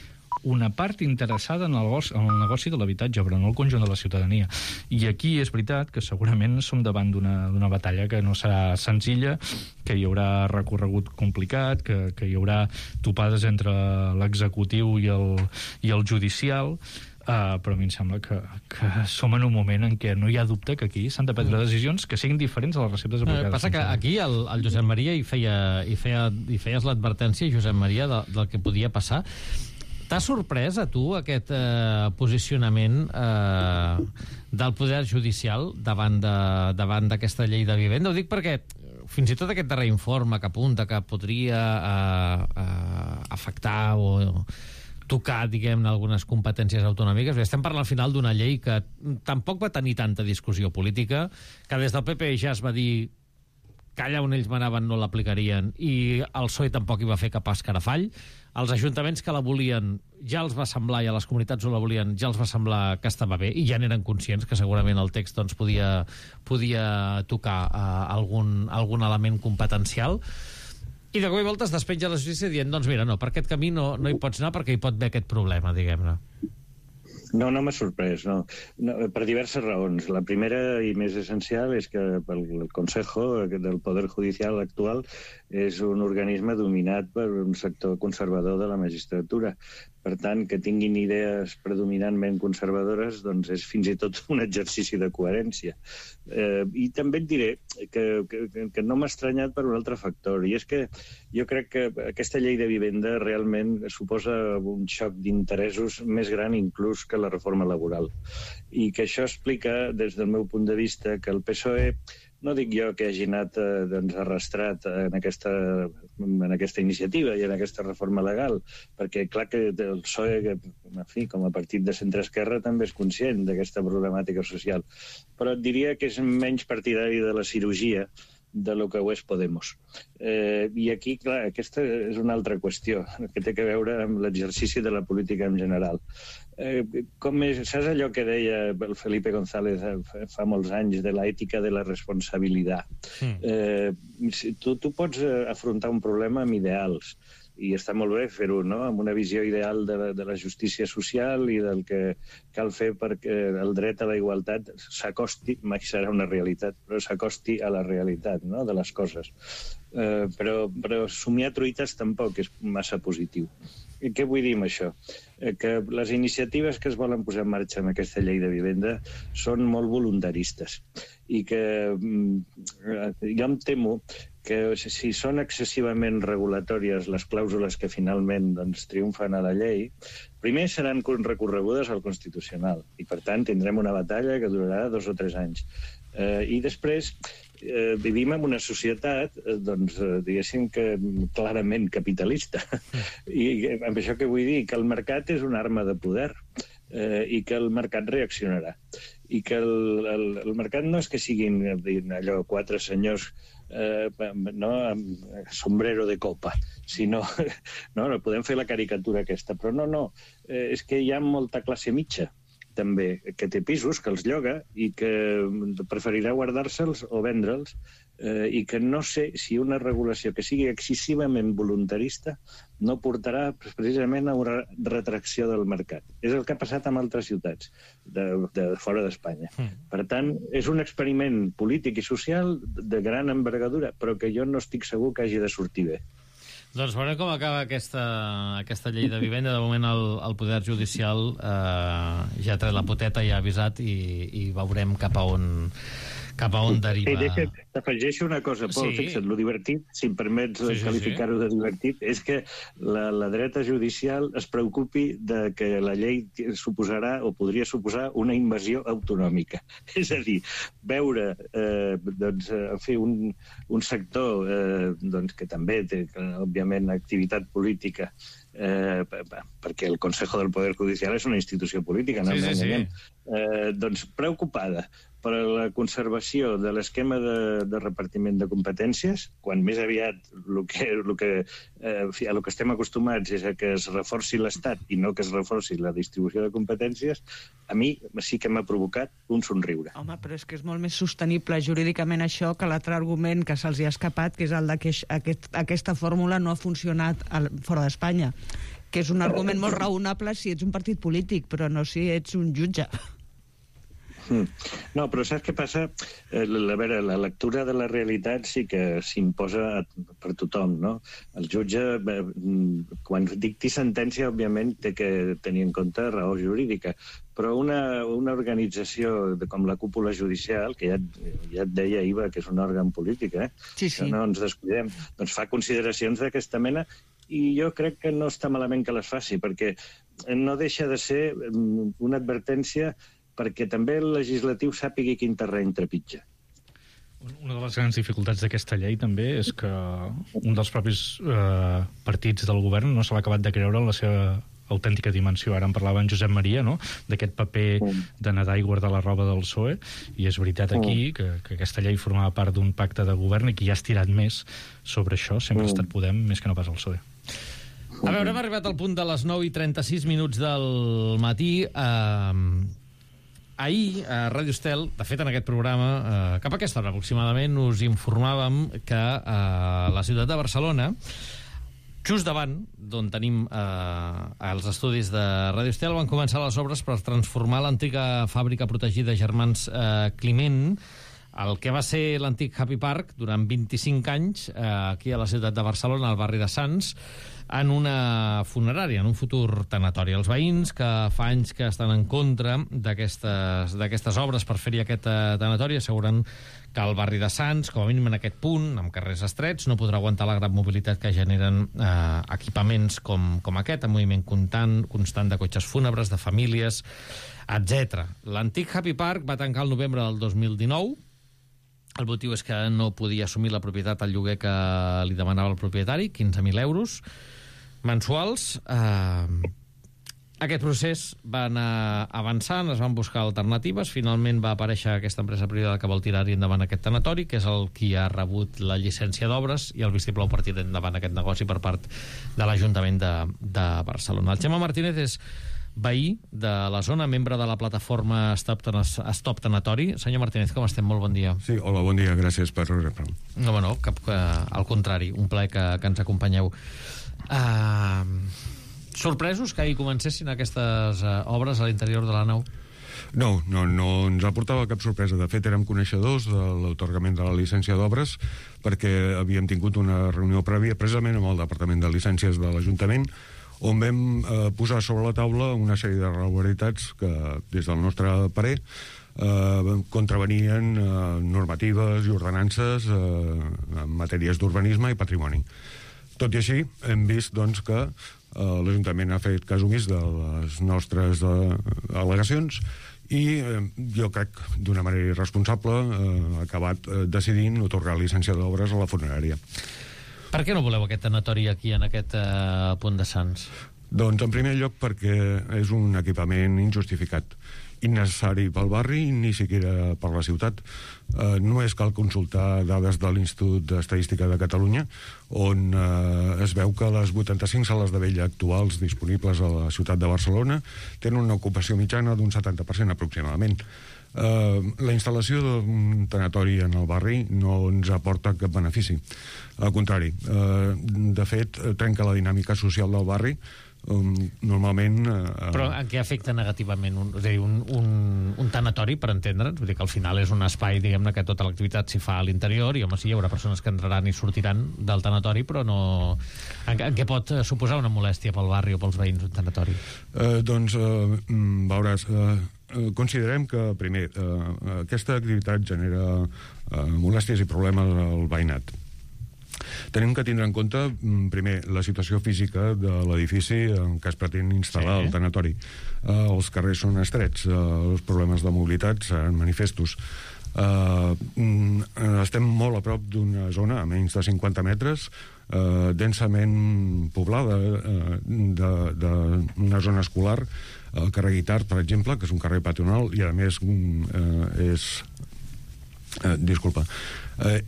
una part interessada en el negoci de l'habitatge, però no el conjunt de la ciutadania. I aquí és veritat que segurament som davant d'una batalla que no serà senzilla, que hi haurà recorregut complicat, que hi haurà topades entre l'executiu i el judicial, però a mi em sembla que som en un moment en què no hi ha dubte que aquí s'han de prendre decisions que siguin diferents a les receptes aplicades. Passa que aquí el Josep Maria hi feies l'advertència, Josep Maria, del que podia passar. T'ha sorprès a tu aquest posicionament del Poder Judicial davant d'aquesta llei de vivenda? Ho dic perquè fins i tot aquest darrer informe que apunta que podria afectar o tocar, diguem-ne, algunes competències autonòmiques. Estem parlant al final d'una llei que tampoc va tenir tanta discussió política, que des del PP ja es va dir que allà on ells manaven no l'aplicarien, i el PSOE tampoc hi va fer cap escarafall. Els ajuntaments que la volien ja els va semblar, i a les comunitats on la volien ja els va semblar que estava bé, i ja n'eren conscients que segurament el text doncs, podia tocar algun element competencial. I de cop i volta es despenja la justícia dient, doncs mira, no, per aquest camí no hi pots anar perquè hi pot haver aquest problema, diguem-ne. No m'ha sorprès, no, per diverses raons. La primera i més essencial és que el Consejo del Poder Judicial actual és un organisme dominat per un sector conservador de la magistratura. Per tant, que tinguin idees predominantment conservadores doncs és fins i tot un exercici de coherència. I també et diré que no m'ha estranyat per un altre factor, i és que jo crec que aquesta llei de vivenda realment suposa un xoc d'interessos més gran inclús que la reforma laboral. I que això explica, des del meu punt de vista, que el PSOE, no dic jo que hagi anat arrastrat en aquesta iniciativa i en aquesta reforma legal, perquè clar que el PSOE, en fi, com a partit de centre-esquerra, també és conscient d'aquesta problemàtica social, però et diria que és menys partidari de la cirurgia de lo que ho és Podemos. I aquí, clar, aquesta és una altra qüestió que té a veure amb l'exercici de la política en general. Saps allò que deia el Felipe González fa molts anys de l'ètica de la responsabilitat? Tu pots afrontar un problema amb ideals, i està molt bé fer-ho, no?, amb una visió ideal de la justícia social i del que cal fer perquè el dret a la igualtat s'acosti, mai serà una realitat, però s'acosti a la realitat, no?, de les coses. Però somiar truites tampoc és massa positiu. Què vull dir amb això? Que les iniciatives que es volen posar en marxa amb aquesta llei de vivenda són molt voluntaristes, i que jo em temo que si són excessivament regulatòries les clàusules que finalment triomfen a la llei, primer seran recorregudes al Constitucional, i per tant tindrem una batalla que durarà 2 o 3 anys. I després vivim en una societat, diguéssim que clarament capitalista. I amb això què vull dir? Que el mercat és una arma de poder i que el mercat reaccionarà. I que el mercat no és que siguin allò 4 senyors amb sombrero de copa, sinó... No, podem fer la caricatura aquesta, però no, és que hi ha molta classe mitja també, que té pisos, que els lloga i que preferirà guardar-se'ls o vendre'ls, i que no sé si una regulació que sigui excessivament voluntarista no portarà precisament a una retracció del mercat. És el que ha passat en altres ciutats de fora d'Espanya. Per tant, és un experiment polític i social de gran envergadura, però que jo no estic segur que hagi de sortir bé. Doncs veurem com acaba aquesta llei de vivenda. De moment el Poder Judicial ja ha tret la poteta i ha avisat, i veurem cap a on cap a on deriva... T'afegeixo una cosa, Pol, fixa't, lo divertit, si em permets qualificar-ho de divertit, és que la dreta judicial es preocupi de que la llei suposarà o podria suposar una invasió autonòmica. És a dir, veure un sector que també té, òbviament, activitat política, perquè el Consejo del Poder Judicial és una institució política, no ens enganyem, doncs preocupada per la conservació de l'esquema de repartiment de competències, quan més aviat el que estem acostumats és a que es reforci l'Estat i no que es reforci la distribució de competències, a mi sí que m'ha provocat un somriure. Home, però és que és molt més sostenible jurídicament això que l'altre argument que se'ls ha escapat, que és el de que aquesta fórmula no ha funcionat fora d'Espanya, que és un argument molt raonable si ets un partit polític, però no si ets un jutge. No, però saps què passa? A veure, la lectura de la realitat sí que s'imposa per tothom, no? El jutge, quan dicti sentència, òbviament, té que tenir en compte raó jurídica, però una organització com la cúpula judicial, que ja et deia, Iva, que és un òrgan polític, sí. No ens descuidem, doncs fa consideracions d'aquesta mena i jo crec que no està malament que les faci, perquè no deixa de ser una advertència perquè també el legislatiu sàpigui quin terreny trepitja. Una de les grans dificultats d'aquesta llei també és que un dels propis partits del govern no se l'ha acabat de creure en la seva autèntica dimensió. Ara en parlava en Josep Maria, no?, d'aquest paper de nedar i guardar la roba del PSOE, i és veritat aquí que aquesta llei formava part d'un pacte de govern i qui ha estirat més sobre això sempre ha estat Podem més que no pas el PSOE. A veure, hem arribat al punt de les 9:36 del matí. Ahir, a Ràdio Estel, de fet en aquest programa, cap a aquesta hora aproximadament, us informàvem que a la ciutat de Barcelona, just davant d'on tenim els estudis de Ràdio Estel, van començar les obres per transformar l'antiga fàbrica protegida Germans Climent, el que va ser l'antic Happy Park durant 25 anys, aquí a la ciutat de Barcelona, al barri de Sants, en una funerària, en un futur tanatori. Els veïns, que fa anys que estan en contra d'aquestes obres per fer-hi aquest tanatori, asseguren que el barri de Sants, com a mínim en aquest punt, amb carrers estrets, no podrà aguantar la gran mobilitat que generen equipaments com aquest, amb moviment constant de cotxes fúnebres, de famílies, etc. L'antic Happy Park va tancar el novembre del 2019. El motiu és que no podia assumir la propietat al lloguer que li demanava el propietari, 15.000 euros mensuals. Aquest procés va anar avançant, es van buscar alternatives, finalment va aparèixer aquesta empresa privada que vol tirar-hi endavant aquest tanatori, que és el qui ha rebut la llicència d'obres i el vistiplau per tirar endavant aquest negoci per part de l'Ajuntament de Barcelona. El Xema Martínez és veí de la zona, membre de la plataforma Stop Tanatori. Senyor Martínez, com estem? Molt bon dia. Sí, hola, bon dia, gràcies per rebre. No, al contrari, un plaer que ens acompanyeu. Sorpresos que ahir comencessin aquestes obres a l'interior de la nau? No ens aportava cap sorpresa. De fet, érem coneixedors de l'atorgament de la llicència d'obres perquè havíem tingut una reunió prèvia precisament amb el Departament de Llicències de l'Ajuntament, on vam posar sobre la taula una sèrie d'irregularitats que, des del nostre parer, contravenien normatives i ordenances en matèries d'urbanisme i patrimoni. Tot i així, hem vist doncs, que l'Ajuntament ha fet cas omís de les nostres al·legacions i jo crec, d'una manera irresponsable, ha acabat decidint atorgar llicència d'obres a la funerària. Per què no voleu aquest tanatori aquí, en aquest punt de Sants? Doncs, en primer lloc, perquè és un equipament injustificat, innecessari pel barri, ni siquiera per la ciutat. Només cal consultar dades de l'Institut d'Estadística de Catalunya, on es veu que les 85 sales de vella actuals disponibles a la ciutat de Barcelona tenen una ocupació mitjana d'un 70% aproximadament. La instal·lació d'un tanatori en el barri no ens aporta cap benefici. Al contrari, de fet, trenca la dinàmica social del barri. Normalment... Però en què afecta negativament un tanatori, per entendre'ns? Vull dir que al final és un espai, diguem-ne, que tota l'activitat s'hi fa a l'interior i, home, sí, hi haurà persones que entraran i sortiran del tanatori, però no... En què pot suposar una molèstia pel barri o pels veïns un tanatori? Doncs, veuràs... considerem que, primer, aquesta activitat genera molèsties i problemes al veïnat. Tenim que tindre en compte, primer, la situació física de l'edifici en què es pretén instal·lar el tanatori. Els carrers són estrets, els problemes de mobilitat seran manifestos. Estem molt a prop d'una zona a menys de 50 metres, densament poblada d'una zona escolar, el carrer Guitart, per exemple, que és un carrer peatonal i a més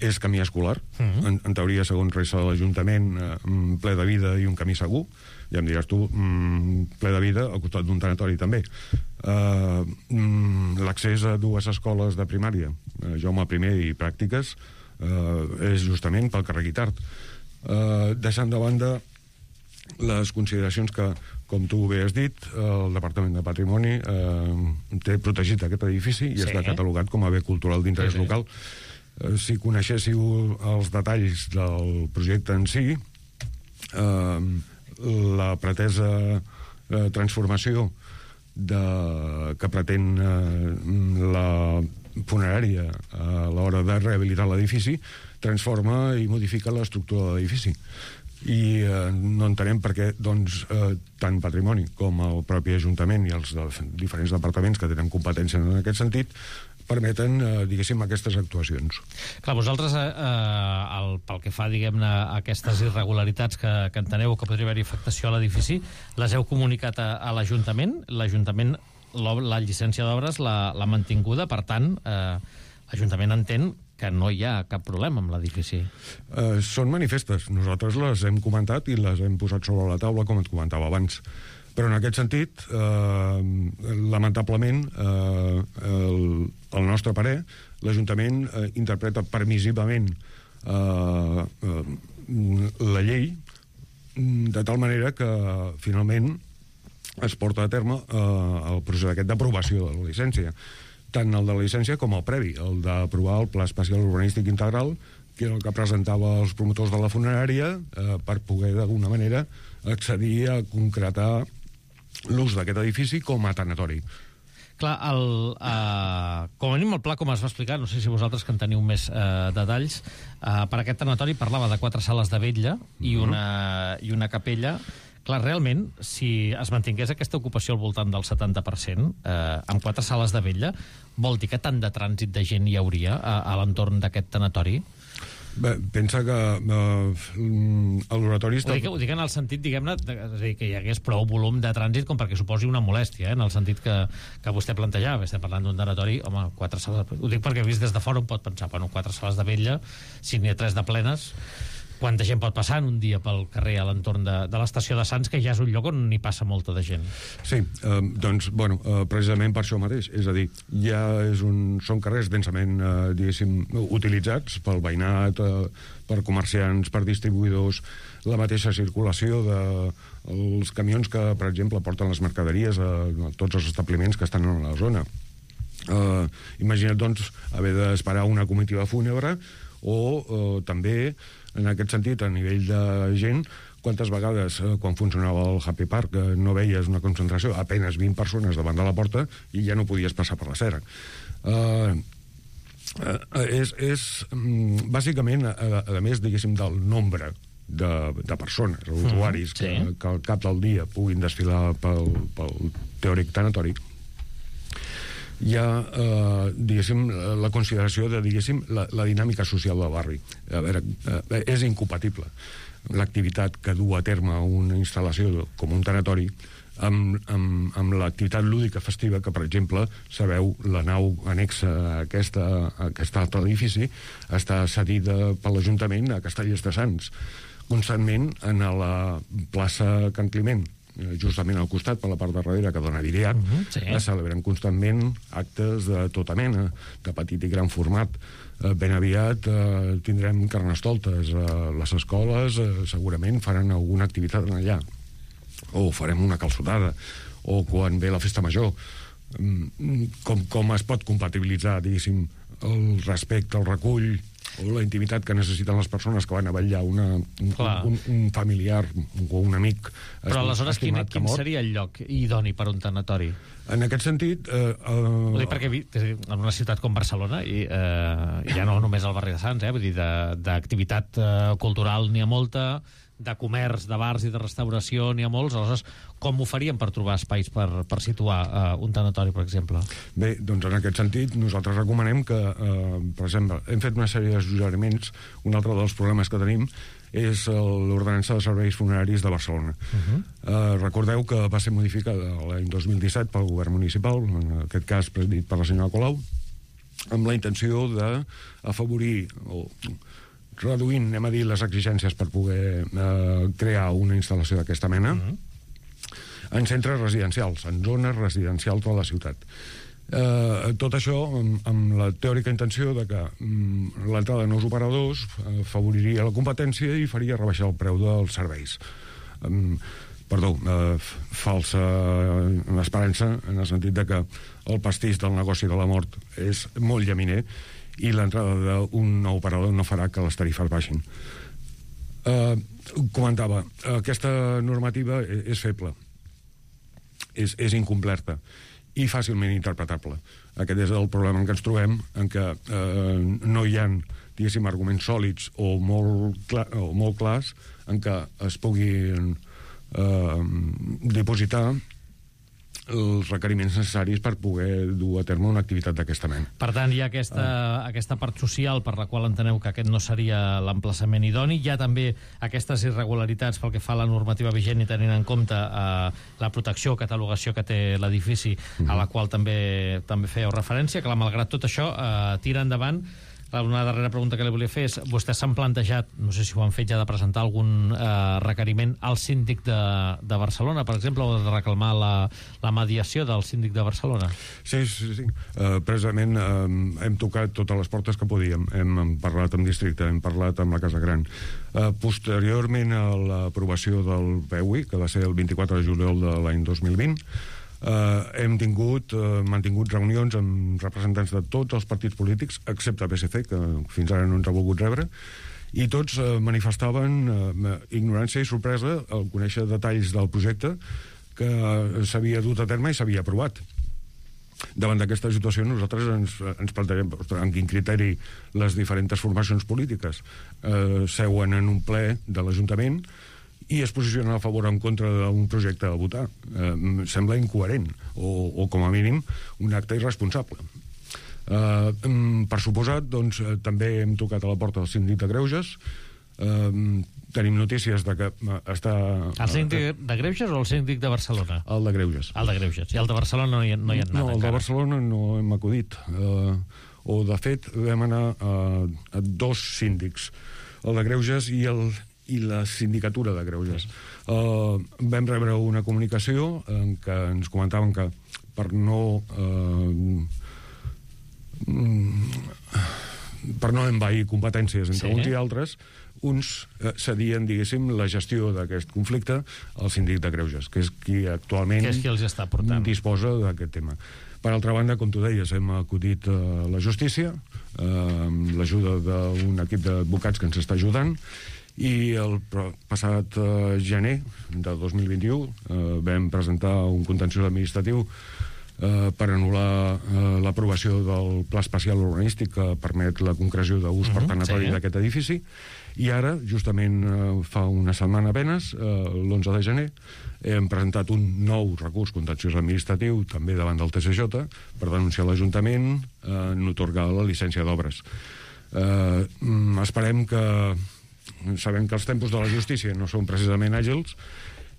és camí escolar. En teoria, segons resta de l'Ajuntament, ple de vida i un camí segur. Ja em diràs tu, ple de vida al costat d'un tanatori també. L'accés a dues escoles de primària, Jaume I i Pràctiques, és justament pel carrer Guitart. Deixant de banda les consideracions que, com tu bé has dit, el Departament de Patrimoni té protegit aquest edifici i està catalogat com a bé cultural d'interès local. Si coneixéssiu els detalls del projecte en si, la pretesa transformació que pretén la funerària a l'hora de rehabilitar l'edifici transforma i modifica l'estructura de l'edifici. I no entenem per què tant Patrimoni com el propi Ajuntament i els diferents departaments que tenen competència en aquest sentit permeten, diguéssim, aquestes actuacions. Clar, vosaltres, pel que fa, diguem-ne, a aquestes irregularitats que enteneu que podria haver-hi afectació a l'edifici, les heu comunicat a l'Ajuntament? L'Ajuntament, la llicència d'obres l'ha mantinguda, per tant, l'Ajuntament entén que no hi ha cap problema amb l'edifici. Són manifestes. Nosaltres les hem comentat i les hem posat sobre la taula, com et comentava abans. Però en aquest sentit, lamentablement, el nostre parer, l'Ajuntament interpreta permissivament la llei de tal manera que, finalment, es porta a terme el procés aquest d'aprovació de la llicència. Tant el de la llicència com el previ, el d'aprovar el Pla Especial Urbanístic Integral, que era el que presentava els promotors de la funerària per poder, d'alguna manera, accedir a concretar l'ús d'aquest edifici com a tanatori. Clar, com a mínim el pla, com es va explicar, no sé si vosaltres que en teniu més detalls, per aquest tanatori parlava de 4 sales de vetlla i una capella. Clar, realment, si es mantingués aquesta ocupació al voltant del 70%, amb 4 sales de vetlla, vol dir que tant de trànsit de gent hi hauria a l'entorn d'aquest tanatori? Bé, pensa que l'oratori està... Ho dic en el sentit, diguem-ne, que hi hagués prou volum de trànsit com perquè suposi una molèstia, en el sentit que vostè plantejava. Estem parlant d'un tanatori, home, 4 sales... Ho dic perquè vist des de fora un pot pensar, bueno, 4 sales de vetlla, si n'hi ha 3 de plenes... Quanta gent pot passar en un dia pel carrer a l'entorn de l'estació de Sants, que ja és un lloc on n'hi passa molta de gent? Sí, doncs, bueno, precisament per això mateix. És a dir, són carrers densament, diguéssim, utilitzats pel veïnat, per comerciants, per distribuïdors, la mateixa circulació dels camions que, per exemple, porten les mercaderies a tots els establiments que estan en la zona. Imagina't, doncs, haver d'esperar una comitiva fúnebre o també, en aquest sentit, a nivell de gent, quantes vegades, quan funcionava el Happy Park, no veies una concentració, apenas 20 persones davant de la porta i ja no podies passar per l'acera. És bàsicament, a més, diguéssim, del nombre de persones, usuaris, que al cap del dia puguin desfilar pel teòric tanatori, hi ha, diguéssim, la consideració de, diguéssim, la dinàmica social del barri. A veure, és incompatible l'activitat que du a terme una instal·lació com un tanatori amb l'activitat lúdica festiva que, per exemple, sabeu, la nau anexa a aquest altre edifici està cedida per l'Ajuntament a Castellers de Sants, constantment en la plaça Can Climent, justament al costat, per la part de darrere, que dona Viriat, es celebren constantment actes de tota mena, de petit i gran format. Ben aviat tindrem carnestoltes. Les escoles segurament faran alguna activitat allà. O farem una calçotada. O quan ve la festa major. Com es pot compatibilitzar, diguéssim, el respecte, el recull o la intimitat que necessiten les persones que van a vetllar un familiar o un amic. Però aleshores quin seria el lloc idoni per un tanatori? En aquest sentit... Ho dic perquè en una ciutat com Barcelona, i ja no només al barri de Sants, vull dir, d'activitat cultural n'hi ha molta, de comerç, de bars i de restauració n'hi ha molts, aleshores com ho faríem per trobar espais per situar un tanatori, per exemple? Bé, doncs en aquest sentit nosaltres recomanem que, per exemple, hem fet una sèrie de suggeriments. Un altre dels problemes que tenim és l'ordenança de serveis funeraris de Barcelona. Recordeu que va ser modificada l'any 2017 pel govern municipal, en aquest cas presidit per la senyora Colau, amb la intenció d'afavorir o reduint, anem a dir, les exigències per poder crear una instal·lació d'aquesta mena en centres residencials, en zones residencials de la ciutat. Tot això amb la teòrica intenció de que l'entrada de nous operadors favoriria la competència i faria rebaixar el preu dels serveis. Falsa esperança, en el sentit de que el pastís del negoci de la mort és molt llaminer i l'entrada d'un nou operador no farà que les tarifes baixin. Comentava, aquesta normativa és feble, és incompleta i fàcilment interpretable. Aquest és el problema en què ens trobem, en què no hi ha, diguéssim, arguments sòlids o molt clars en què es puguin dipositar els requeriments necessaris per poder dur a terme una activitat d'aquesta mena. Per tant, hi ha aquesta part social per la qual enteneu que aquest no seria l'emplaçament idoni. Hi ha també aquestes irregularitats pel que fa a la normativa vigent i tenint en compte la protecció o catalogació que té l'edifici, a la qual també fèieu referència. Clar, malgrat tot això, tira endavant. Una darrera pregunta que li volia fer és, vostès s'han plantejat, no sé si ho han fet ja, de presentar algun requeriment al síndic de Barcelona, per exemple, o de reclamar la mediació del síndic de Barcelona? Sí. Precisament hem tocat totes les portes que podíem. Hem parlat amb districte, hem parlat amb la Casa Gran. Posteriorment a l'aprovació del PEUI, que va ser el 24 de juliol de l'any 2020, hem mantingut reunions amb representants de tots els partits polítics, excepte PSC, que fins ara no ens ha volgut rebre, i tots manifestaven ignorància i sorpresa al conèixer detalls del projecte que s'havia dut a terme i s'havia aprovat. Davant d'aquesta situació nosaltres ens plantegem en quin criteri les diferents formacions polítiques seuen en un ple de l'Ajuntament i es posicionen a favor o en contra d'un projecte a votar. Sembla incoherent o com a mínim un acte irresponsable. Per suposat, doncs, també hem tocat a la porta del síndic de Greuges. Tenim notícies de que està... El síndic de Greuges o el síndic de Barcelona? El de Greuges. El de Greuges. I el de Barcelona no hi ha anat encara? No, el de Barcelona no hem acudit. O, de fet, vam anar a dos síndics, el de Greuges i la sindicatura de Greuges. Vam rebre una comunicació en què ens comentaven que per no envair competències entre uns i altres, uns cedien, diguéssim, la gestió d'aquest conflicte al síndic de Greuges, que és qui actualment disposa d'aquest tema. Per altra banda, com tu deies, hem acudit a la justícia amb l'ajuda d'un equip d'advocats que ens està ajudant, i el passat gener de 2021 vam presentar un contenciós administratiu per anul·lar l'aprovació del Pla Especial Urbanístic que permet la concreció d'ús per tanatori d'aquest edifici, i ara, justament fa una setmana apenas, l'11 de gener, hem presentat un nou recurs contenciós administratiu també davant del TSJ per denunciar l'Ajuntament en atorgar la llicència d'obres. Esperem que... Sabem que els tempos de la justícia no són precisament àgils,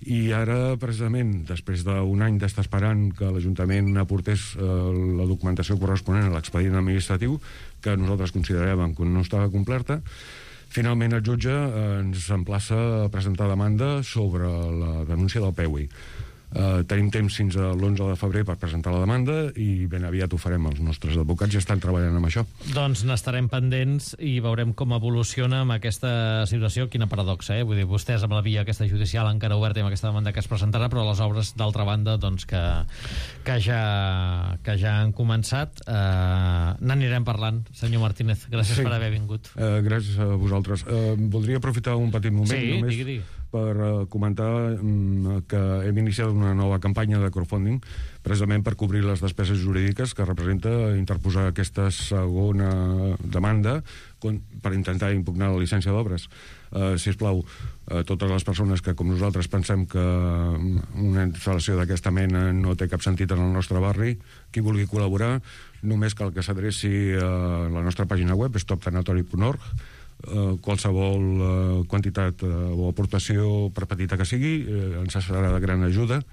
i ara, precisament, després d'un any d'estar esperant que l'Ajuntament aportés la documentació corresponent a l'expedient administratiu, que nosaltres consideràvem que no estava completa, finalment el jutge ens emplaça a presentar demanda sobre la denúncia del PEUI. Tenim temps fins a l'11 de febrer per presentar la demanda i ben aviat ho farem. Els nostres advocats ja estan treballant amb això. Doncs n'estarem pendents i veurem com evoluciona amb aquesta situació. Quina paradoxa, Vull dir, vostès amb la via aquesta judicial encara oberta i amb aquesta demanda que es presentarà, però les obres, d'altra banda, doncs que ja han començat. N'anirem parlant. Senyor Martínez, gràcies per haver vingut. Gràcies a vosaltres. Voldria aprofitar un petit moment només digui. Per comentar que hem iniciat una nova campanya de crowdfunding precisament per cobrir les despeses jurídiques que representa interposar aquesta segona demanda per intentar impugnar la llicència d'obres. Sisplau, totes les persones que, com nosaltres, pensem que una instal·lació d'aquesta mena no té cap sentit en el nostre barri, qui vulgui col·laborar, només cal que s'adreci a la nostra pàgina web, stoptanatori.org. Qualsevol quantitat o aportació, per petita que sigui, ens serà de gran ajuda,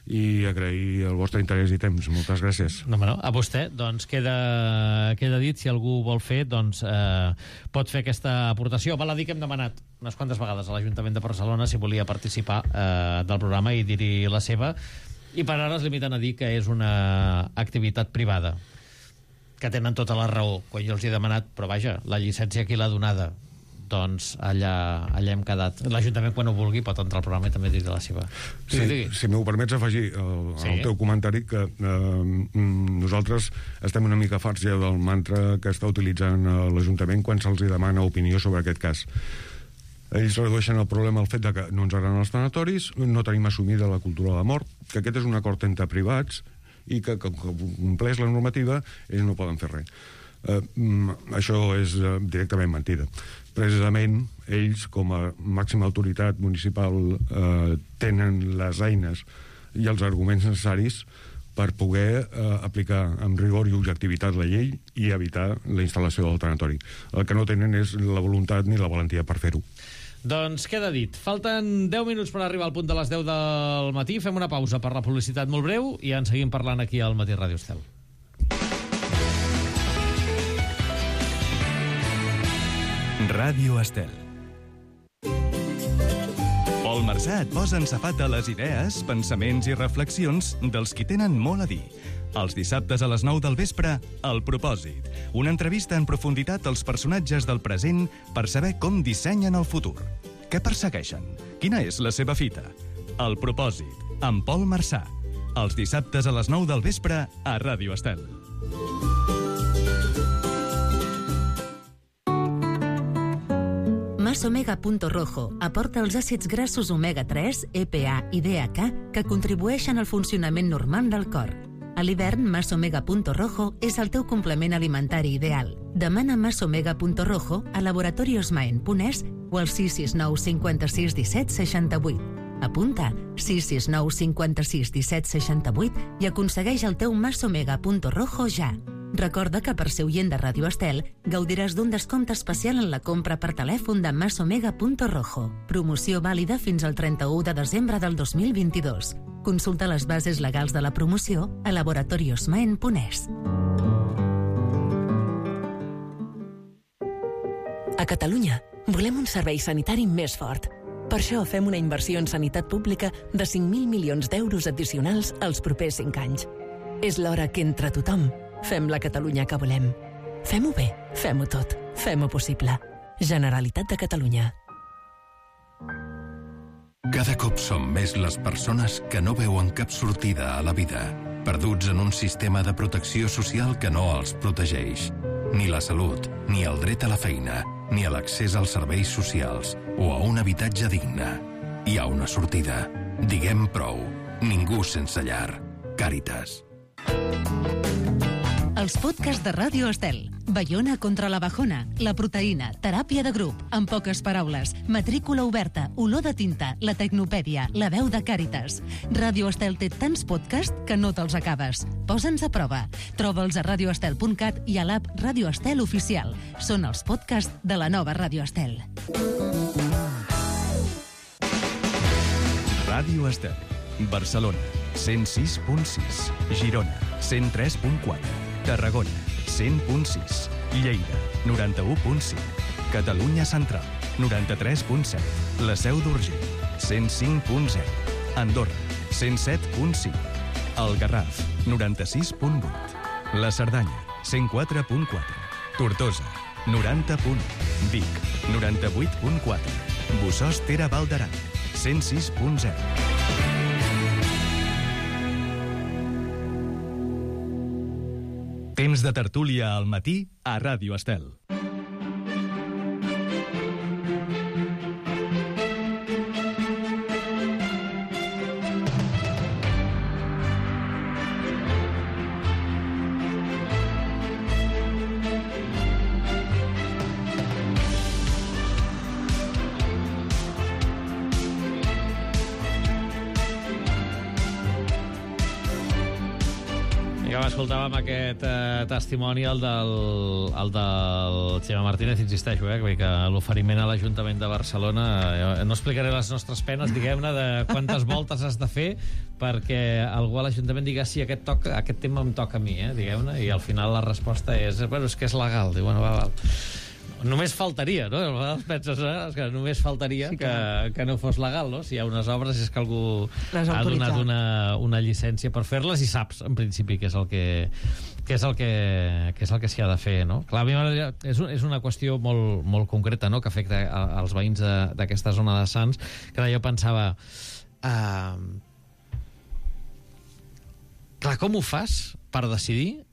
i agrair el vostre interès i temps. Moltes gràcies. A vostè, doncs queda dit, si algú vol fer, doncs pot fer aquesta aportació. Val a dir que hem demanat unes quantes vegades a l'Ajuntament de Barcelona si volia participar del programa i dir-hi la seva, i per ara es limiten a dir que és una activitat privada, que tenen tota la raó quan jo els he demanat, però vaja, la llicència qui l'ha donada? Doncs allà hem quedat. L'Ajuntament, quan ho vulgui, pot entrar al programa i també dir la seva. Si m'ho permets afegir al teu comentari, que nosaltres estem una mica farts ja del mantra que està utilitzant l'Ajuntament quan se'ls demana opinió sobre aquest cas. Ells redueixen el problema al fet de que no ens agraden els tanatoris, no tenim assumida la cultura de la mort, que aquest és un acord entre privats i que compleix la normativa, ells no poden fer res. Això és directament mentida. Precisament, ells, com a màxima autoritat municipal, tenen les eines i els arguments necessaris per poder aplicar amb rigor i objectivitat la llei i evitar la instal·lació del tanatori. El que no tenen és la voluntat ni la valentia per fer-ho. Doncs queda dit. Falten 10 minuts per arribar al punt de les 10 del matí. Fem una pausa per la publicitat molt breu i en seguim parlant aquí al Matí Ràdio Estel. Ràdio Estel. Pol Marsà et posa en safata les idees, pensaments i reflexions dels qui tenen molt a dir. Els dissabtes a les 9 del vespre, El Propòsit. Una entrevista en profunditat als personatges del present per saber com dissenyen el futur. Què persegueixen? Quina és la seva fita? El Propòsit, amb Pol Marsà. Els dissabtes a les 9 del vespre a Ràdio Estel. Masomega.rojo aporta els àcids grassos omega-3, EPA i DHA que contribueixen al funcionament normal del cor. A l'hivern, Masomega.rojo és el teu complement alimentari ideal. Demana Masomega.rojo a laboratoriosmaen.es o al 669 56 17 68. Apunta 669 56 17 68 i aconsegueix el teu Masomega.rojo ja. Recorda que per ser oient de Ràdio Estel gaudiràs d'un descompte especial en la compra per telèfon de Masomega.rojo. Promoció vàlida fins al 31 de desembre del 2022. Consulta les bases legals de la promoció a laboratoriosmaen.es. A Catalunya volem un servei sanitari més fort. Per això fem una inversió en sanitat pública de 5.000 milions d'euros addicionals els propers 5 anys. És l'hora que entre tothom fem la Catalunya que volem. Fem-ho bé, fem-ho tot, fem-ho possible. Generalitat de Catalunya. Cada cop som més les persones que no veuen cap sortida a la vida, perduts en un sistema de protecció social que no els protegeix. Ni la salut, ni el dret a la feina, ni a l'accés als serveis socials o a un habitatge digne. Hi ha una sortida. Diguem prou. Ningú sense llar. Càritas. Els podcasts de Ràdio Estel. Baiona contra la bajona, la proteïna, teràpia de grup, en poques paraules, matrícula oberta, olor de tinta, la tecnopèdia, la veu de Càritas. Ràdio Estel té tants podcasts que no te'ls acabes. Posa'ns a prova. Troba'ls a radioestel.cat i a l'app Ràdio Estel Oficial. Són els podcasts de la nova Ràdio Estel. Ràdio Estel. Barcelona, 106.6. Girona, 103.4. Tarragona, 100.6. Lleida, 91.5. Catalunya Central, 93.7. La Seu d'Urgell, 105.0. Andorra, 107.5. El Garraf, 96.8. La Cerdanya, 104.4. Tortosa, 90.1. Vic, 98.4. Bossòst Ter Val d'Aran, 106.0. Temps de tertúlia al matí a Ràdio Estel. Escoltàvem aquest testimoni, el del Xema Martínez, insisteixo, que l'oferiment a l'Ajuntament de Barcelona, no explicaré les nostres penes, diguem-ne, de quantes voltes has de fer perquè algú a l'Ajuntament digui sí, aquest tema em toca a mi, diguem-ne, i al final la resposta és, bueno, és que és legal. Diu, bueno, va. Només faltaria, no? A vegades penses que només faltaria que no fos legal, no? Si hi ha unes obres és que algú ha donat una llicència per fer-les i saps, en principi, què és el que s'hi ha de fer, no? Clar, a mi és una qüestió molt concreta, no?, que afecta als veïns d'aquesta zona de Sants, que jo pensava... Clar, com ho fas per decidir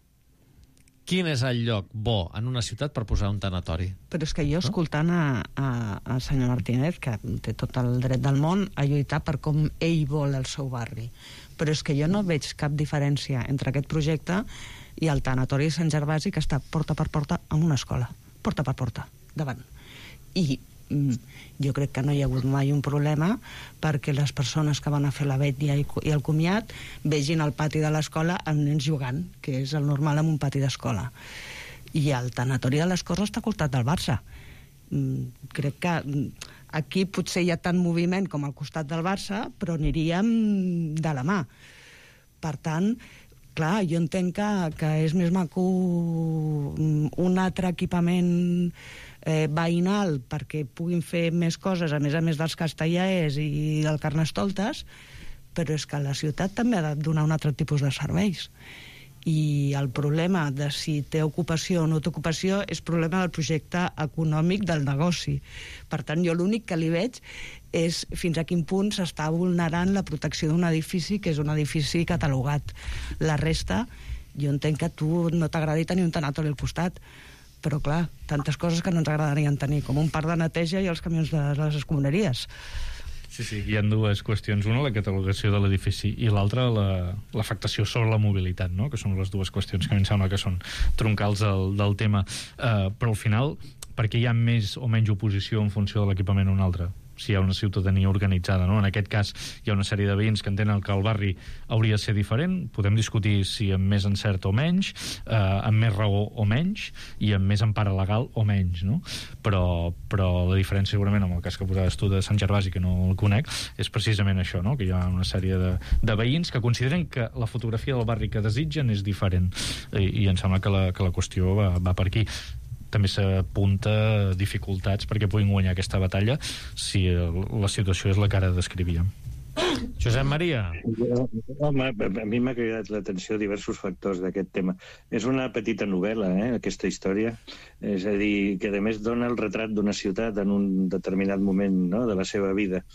quin és el lloc bo en una ciutat per posar un tanatori? Però és que jo, escoltant al senyor Martínez, que té tot el dret del món a lluitar per com ell vol el seu barri, però és que jo no veig cap diferència entre aquest projecte i el tanatori de Sant Gervasi, que està porta per porta amb una escola. Porta per porta, davant. I jo crec que no hi ha hagut mai un problema perquè les persones que van a fer la vetlla i el comiat vegin al pati de l'escola amb nens jugant, que és el normal en un pati d'escola. I el tanatori de les Corts està al costat del Barça. Crec que aquí potser hi ha tant moviment com al costat del Barça, però aniríem de la mà. Per tant, clar, jo entenc que és més maco un altre equipament veïnal perquè puguin fer més coses, a més dels castellers i del Carnestoltes, però és que la ciutat també ha de donar un altre tipus de serveis. I el problema de si té ocupació o no té ocupació és problema del projecte econòmic del negoci. Per tant, jo l'únic que li veig és fins a quin punt s'està vulnerant la protecció d'un edifici que és un edifici catalogat. La resta, jo entenc que a tu no t'agradi tenir un tanatori al costat, però clar, tantes coses que no ens agradarien tenir, com un parc de neteja i els camions de les escombraries. Sí, hi ha dues qüestions. Una, la catalogació de l'edifici, i l'altra, l'afectació sobre la mobilitat, no?, que són les dues qüestions que a mi em sembla que són troncals del tema. Però al final, per què hi ha més o menys oposició en funció de l'equipament o un altre? Si hi ha una ciutadania organitzada, no? En aquest cas hi ha una sèrie de veïns que entenen que el barri hauria de ser diferent. Podem discutir si amb més encert o menys, amb més raó o menys, i amb més empara legal o menys, no? Però la diferència, segurament, amb el cas que posaves tu de Sant Gervasi, que no el conec, és precisament això, no?, que hi ha una sèrie de veïns que consideren que la fotografia del barri que desitgen és diferent, i em sembla que la qüestió va per aquí. També s'apunta dificultats perquè puguin guanyar aquesta batalla si la situació és la que ara descrivíem. Josep Maria. Home, a mi m'ha cridat l'atenció diversos factors d'aquest tema. És una petita novel·la, aquesta història. És a dir, que a més dona el retrat d'una ciutat en un determinat moment, no?, de la seva vida.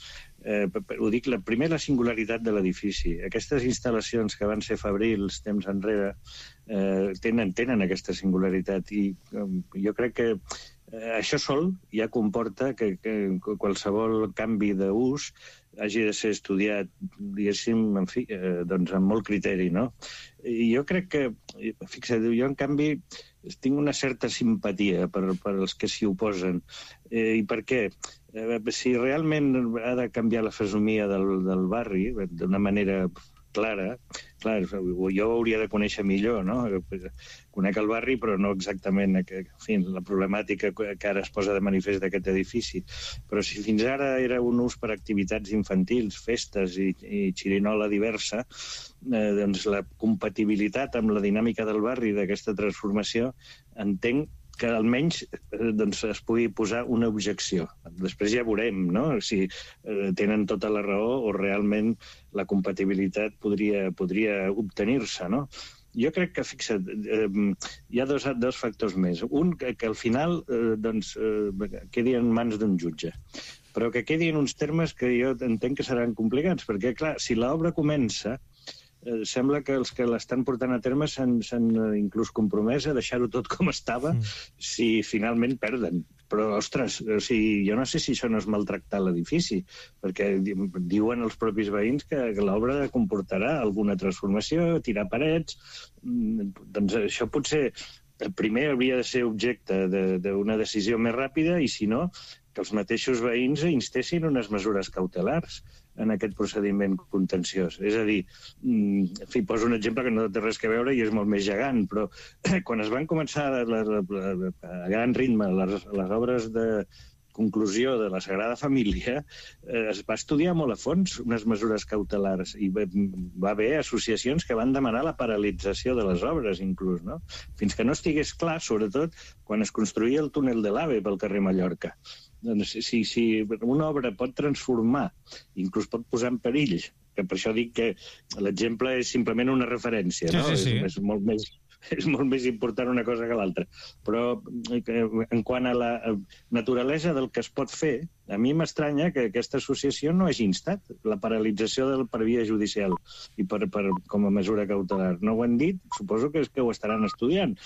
Ho dic, primer la singularitat de l'edifici. Aquestes instal·lacions que van ser fabrils temps enrere tenen aquesta singularitat, i jo crec que això sol ja comporta que qualsevol canvi d'ús hagi de ser estudiat, diguéssim, en fi, doncs amb molt criteri, no? I jo crec que, fixa't, jo en canvi tinc una certa simpatia per als que s'hi oposen. I per què? Si realment ha de canviar la fesomia del barri d'una manera clara, clar, jo ho hauria de conèixer millor, no? Conec el barri, però no exactament la problemàtica que ara es posa de manifest d'aquest edifici. Però si fins ara era un ús per activitats infantils, festes i xirinola diversa, doncs la compatibilitat amb la dinàmica del barri d'aquesta transformació entenc que almenys es pugui posar una objecció. Després ja veurem, no?, si tenen tota la raó o realment la compatibilitat podria obtenir-se, no? Jo crec que, fixa't, hi ha dos factors més. Un, que al final quedi en mans d'un jutge, però que quedi en uns termes que jo entenc que seran complicats, perquè, clar, si l'obra comença, sembla que els que l'estan portant a terme s'han inclús compromès a deixar-ho tot com estava si finalment perden. Però, ostres, jo no sé si això no és maltractar l'edifici, perquè diuen els propis veïns que l'obra comportarà alguna transformació, tirar parets. Doncs això potser primer hauria de ser objecte d'una decisió més ràpida i, si no, que els mateixos veïns instessin unes mesures cautelars en aquest procediment contenciós. És a dir, en fi, poso un exemple que no té res a veure i és molt més gegant, però quan es van començar a gran ritme les obres de conclusió de la Sagrada Família, es va estudiar molt a fons unes mesures cautelars i va haver associacions que van demanar la paralització de les obres, inclús, no? Fins que no estigués clar, sobretot quan es construïa el túnel de l'AVE pel carrer Mallorca. Doncs si una obra pot transformar, inclús pot posar en perill, que per això dic que l'exemple és simplement una referència, no? Sí. És molt més important una cosa que l'altra. Però en quant a la naturalesa del que es pot fer, a mi m'estranya que aquesta associació no hagi instat la paralització per via judicial i com a mesura cautelar. No ho han dit, suposo que és que ho estaran estudiant.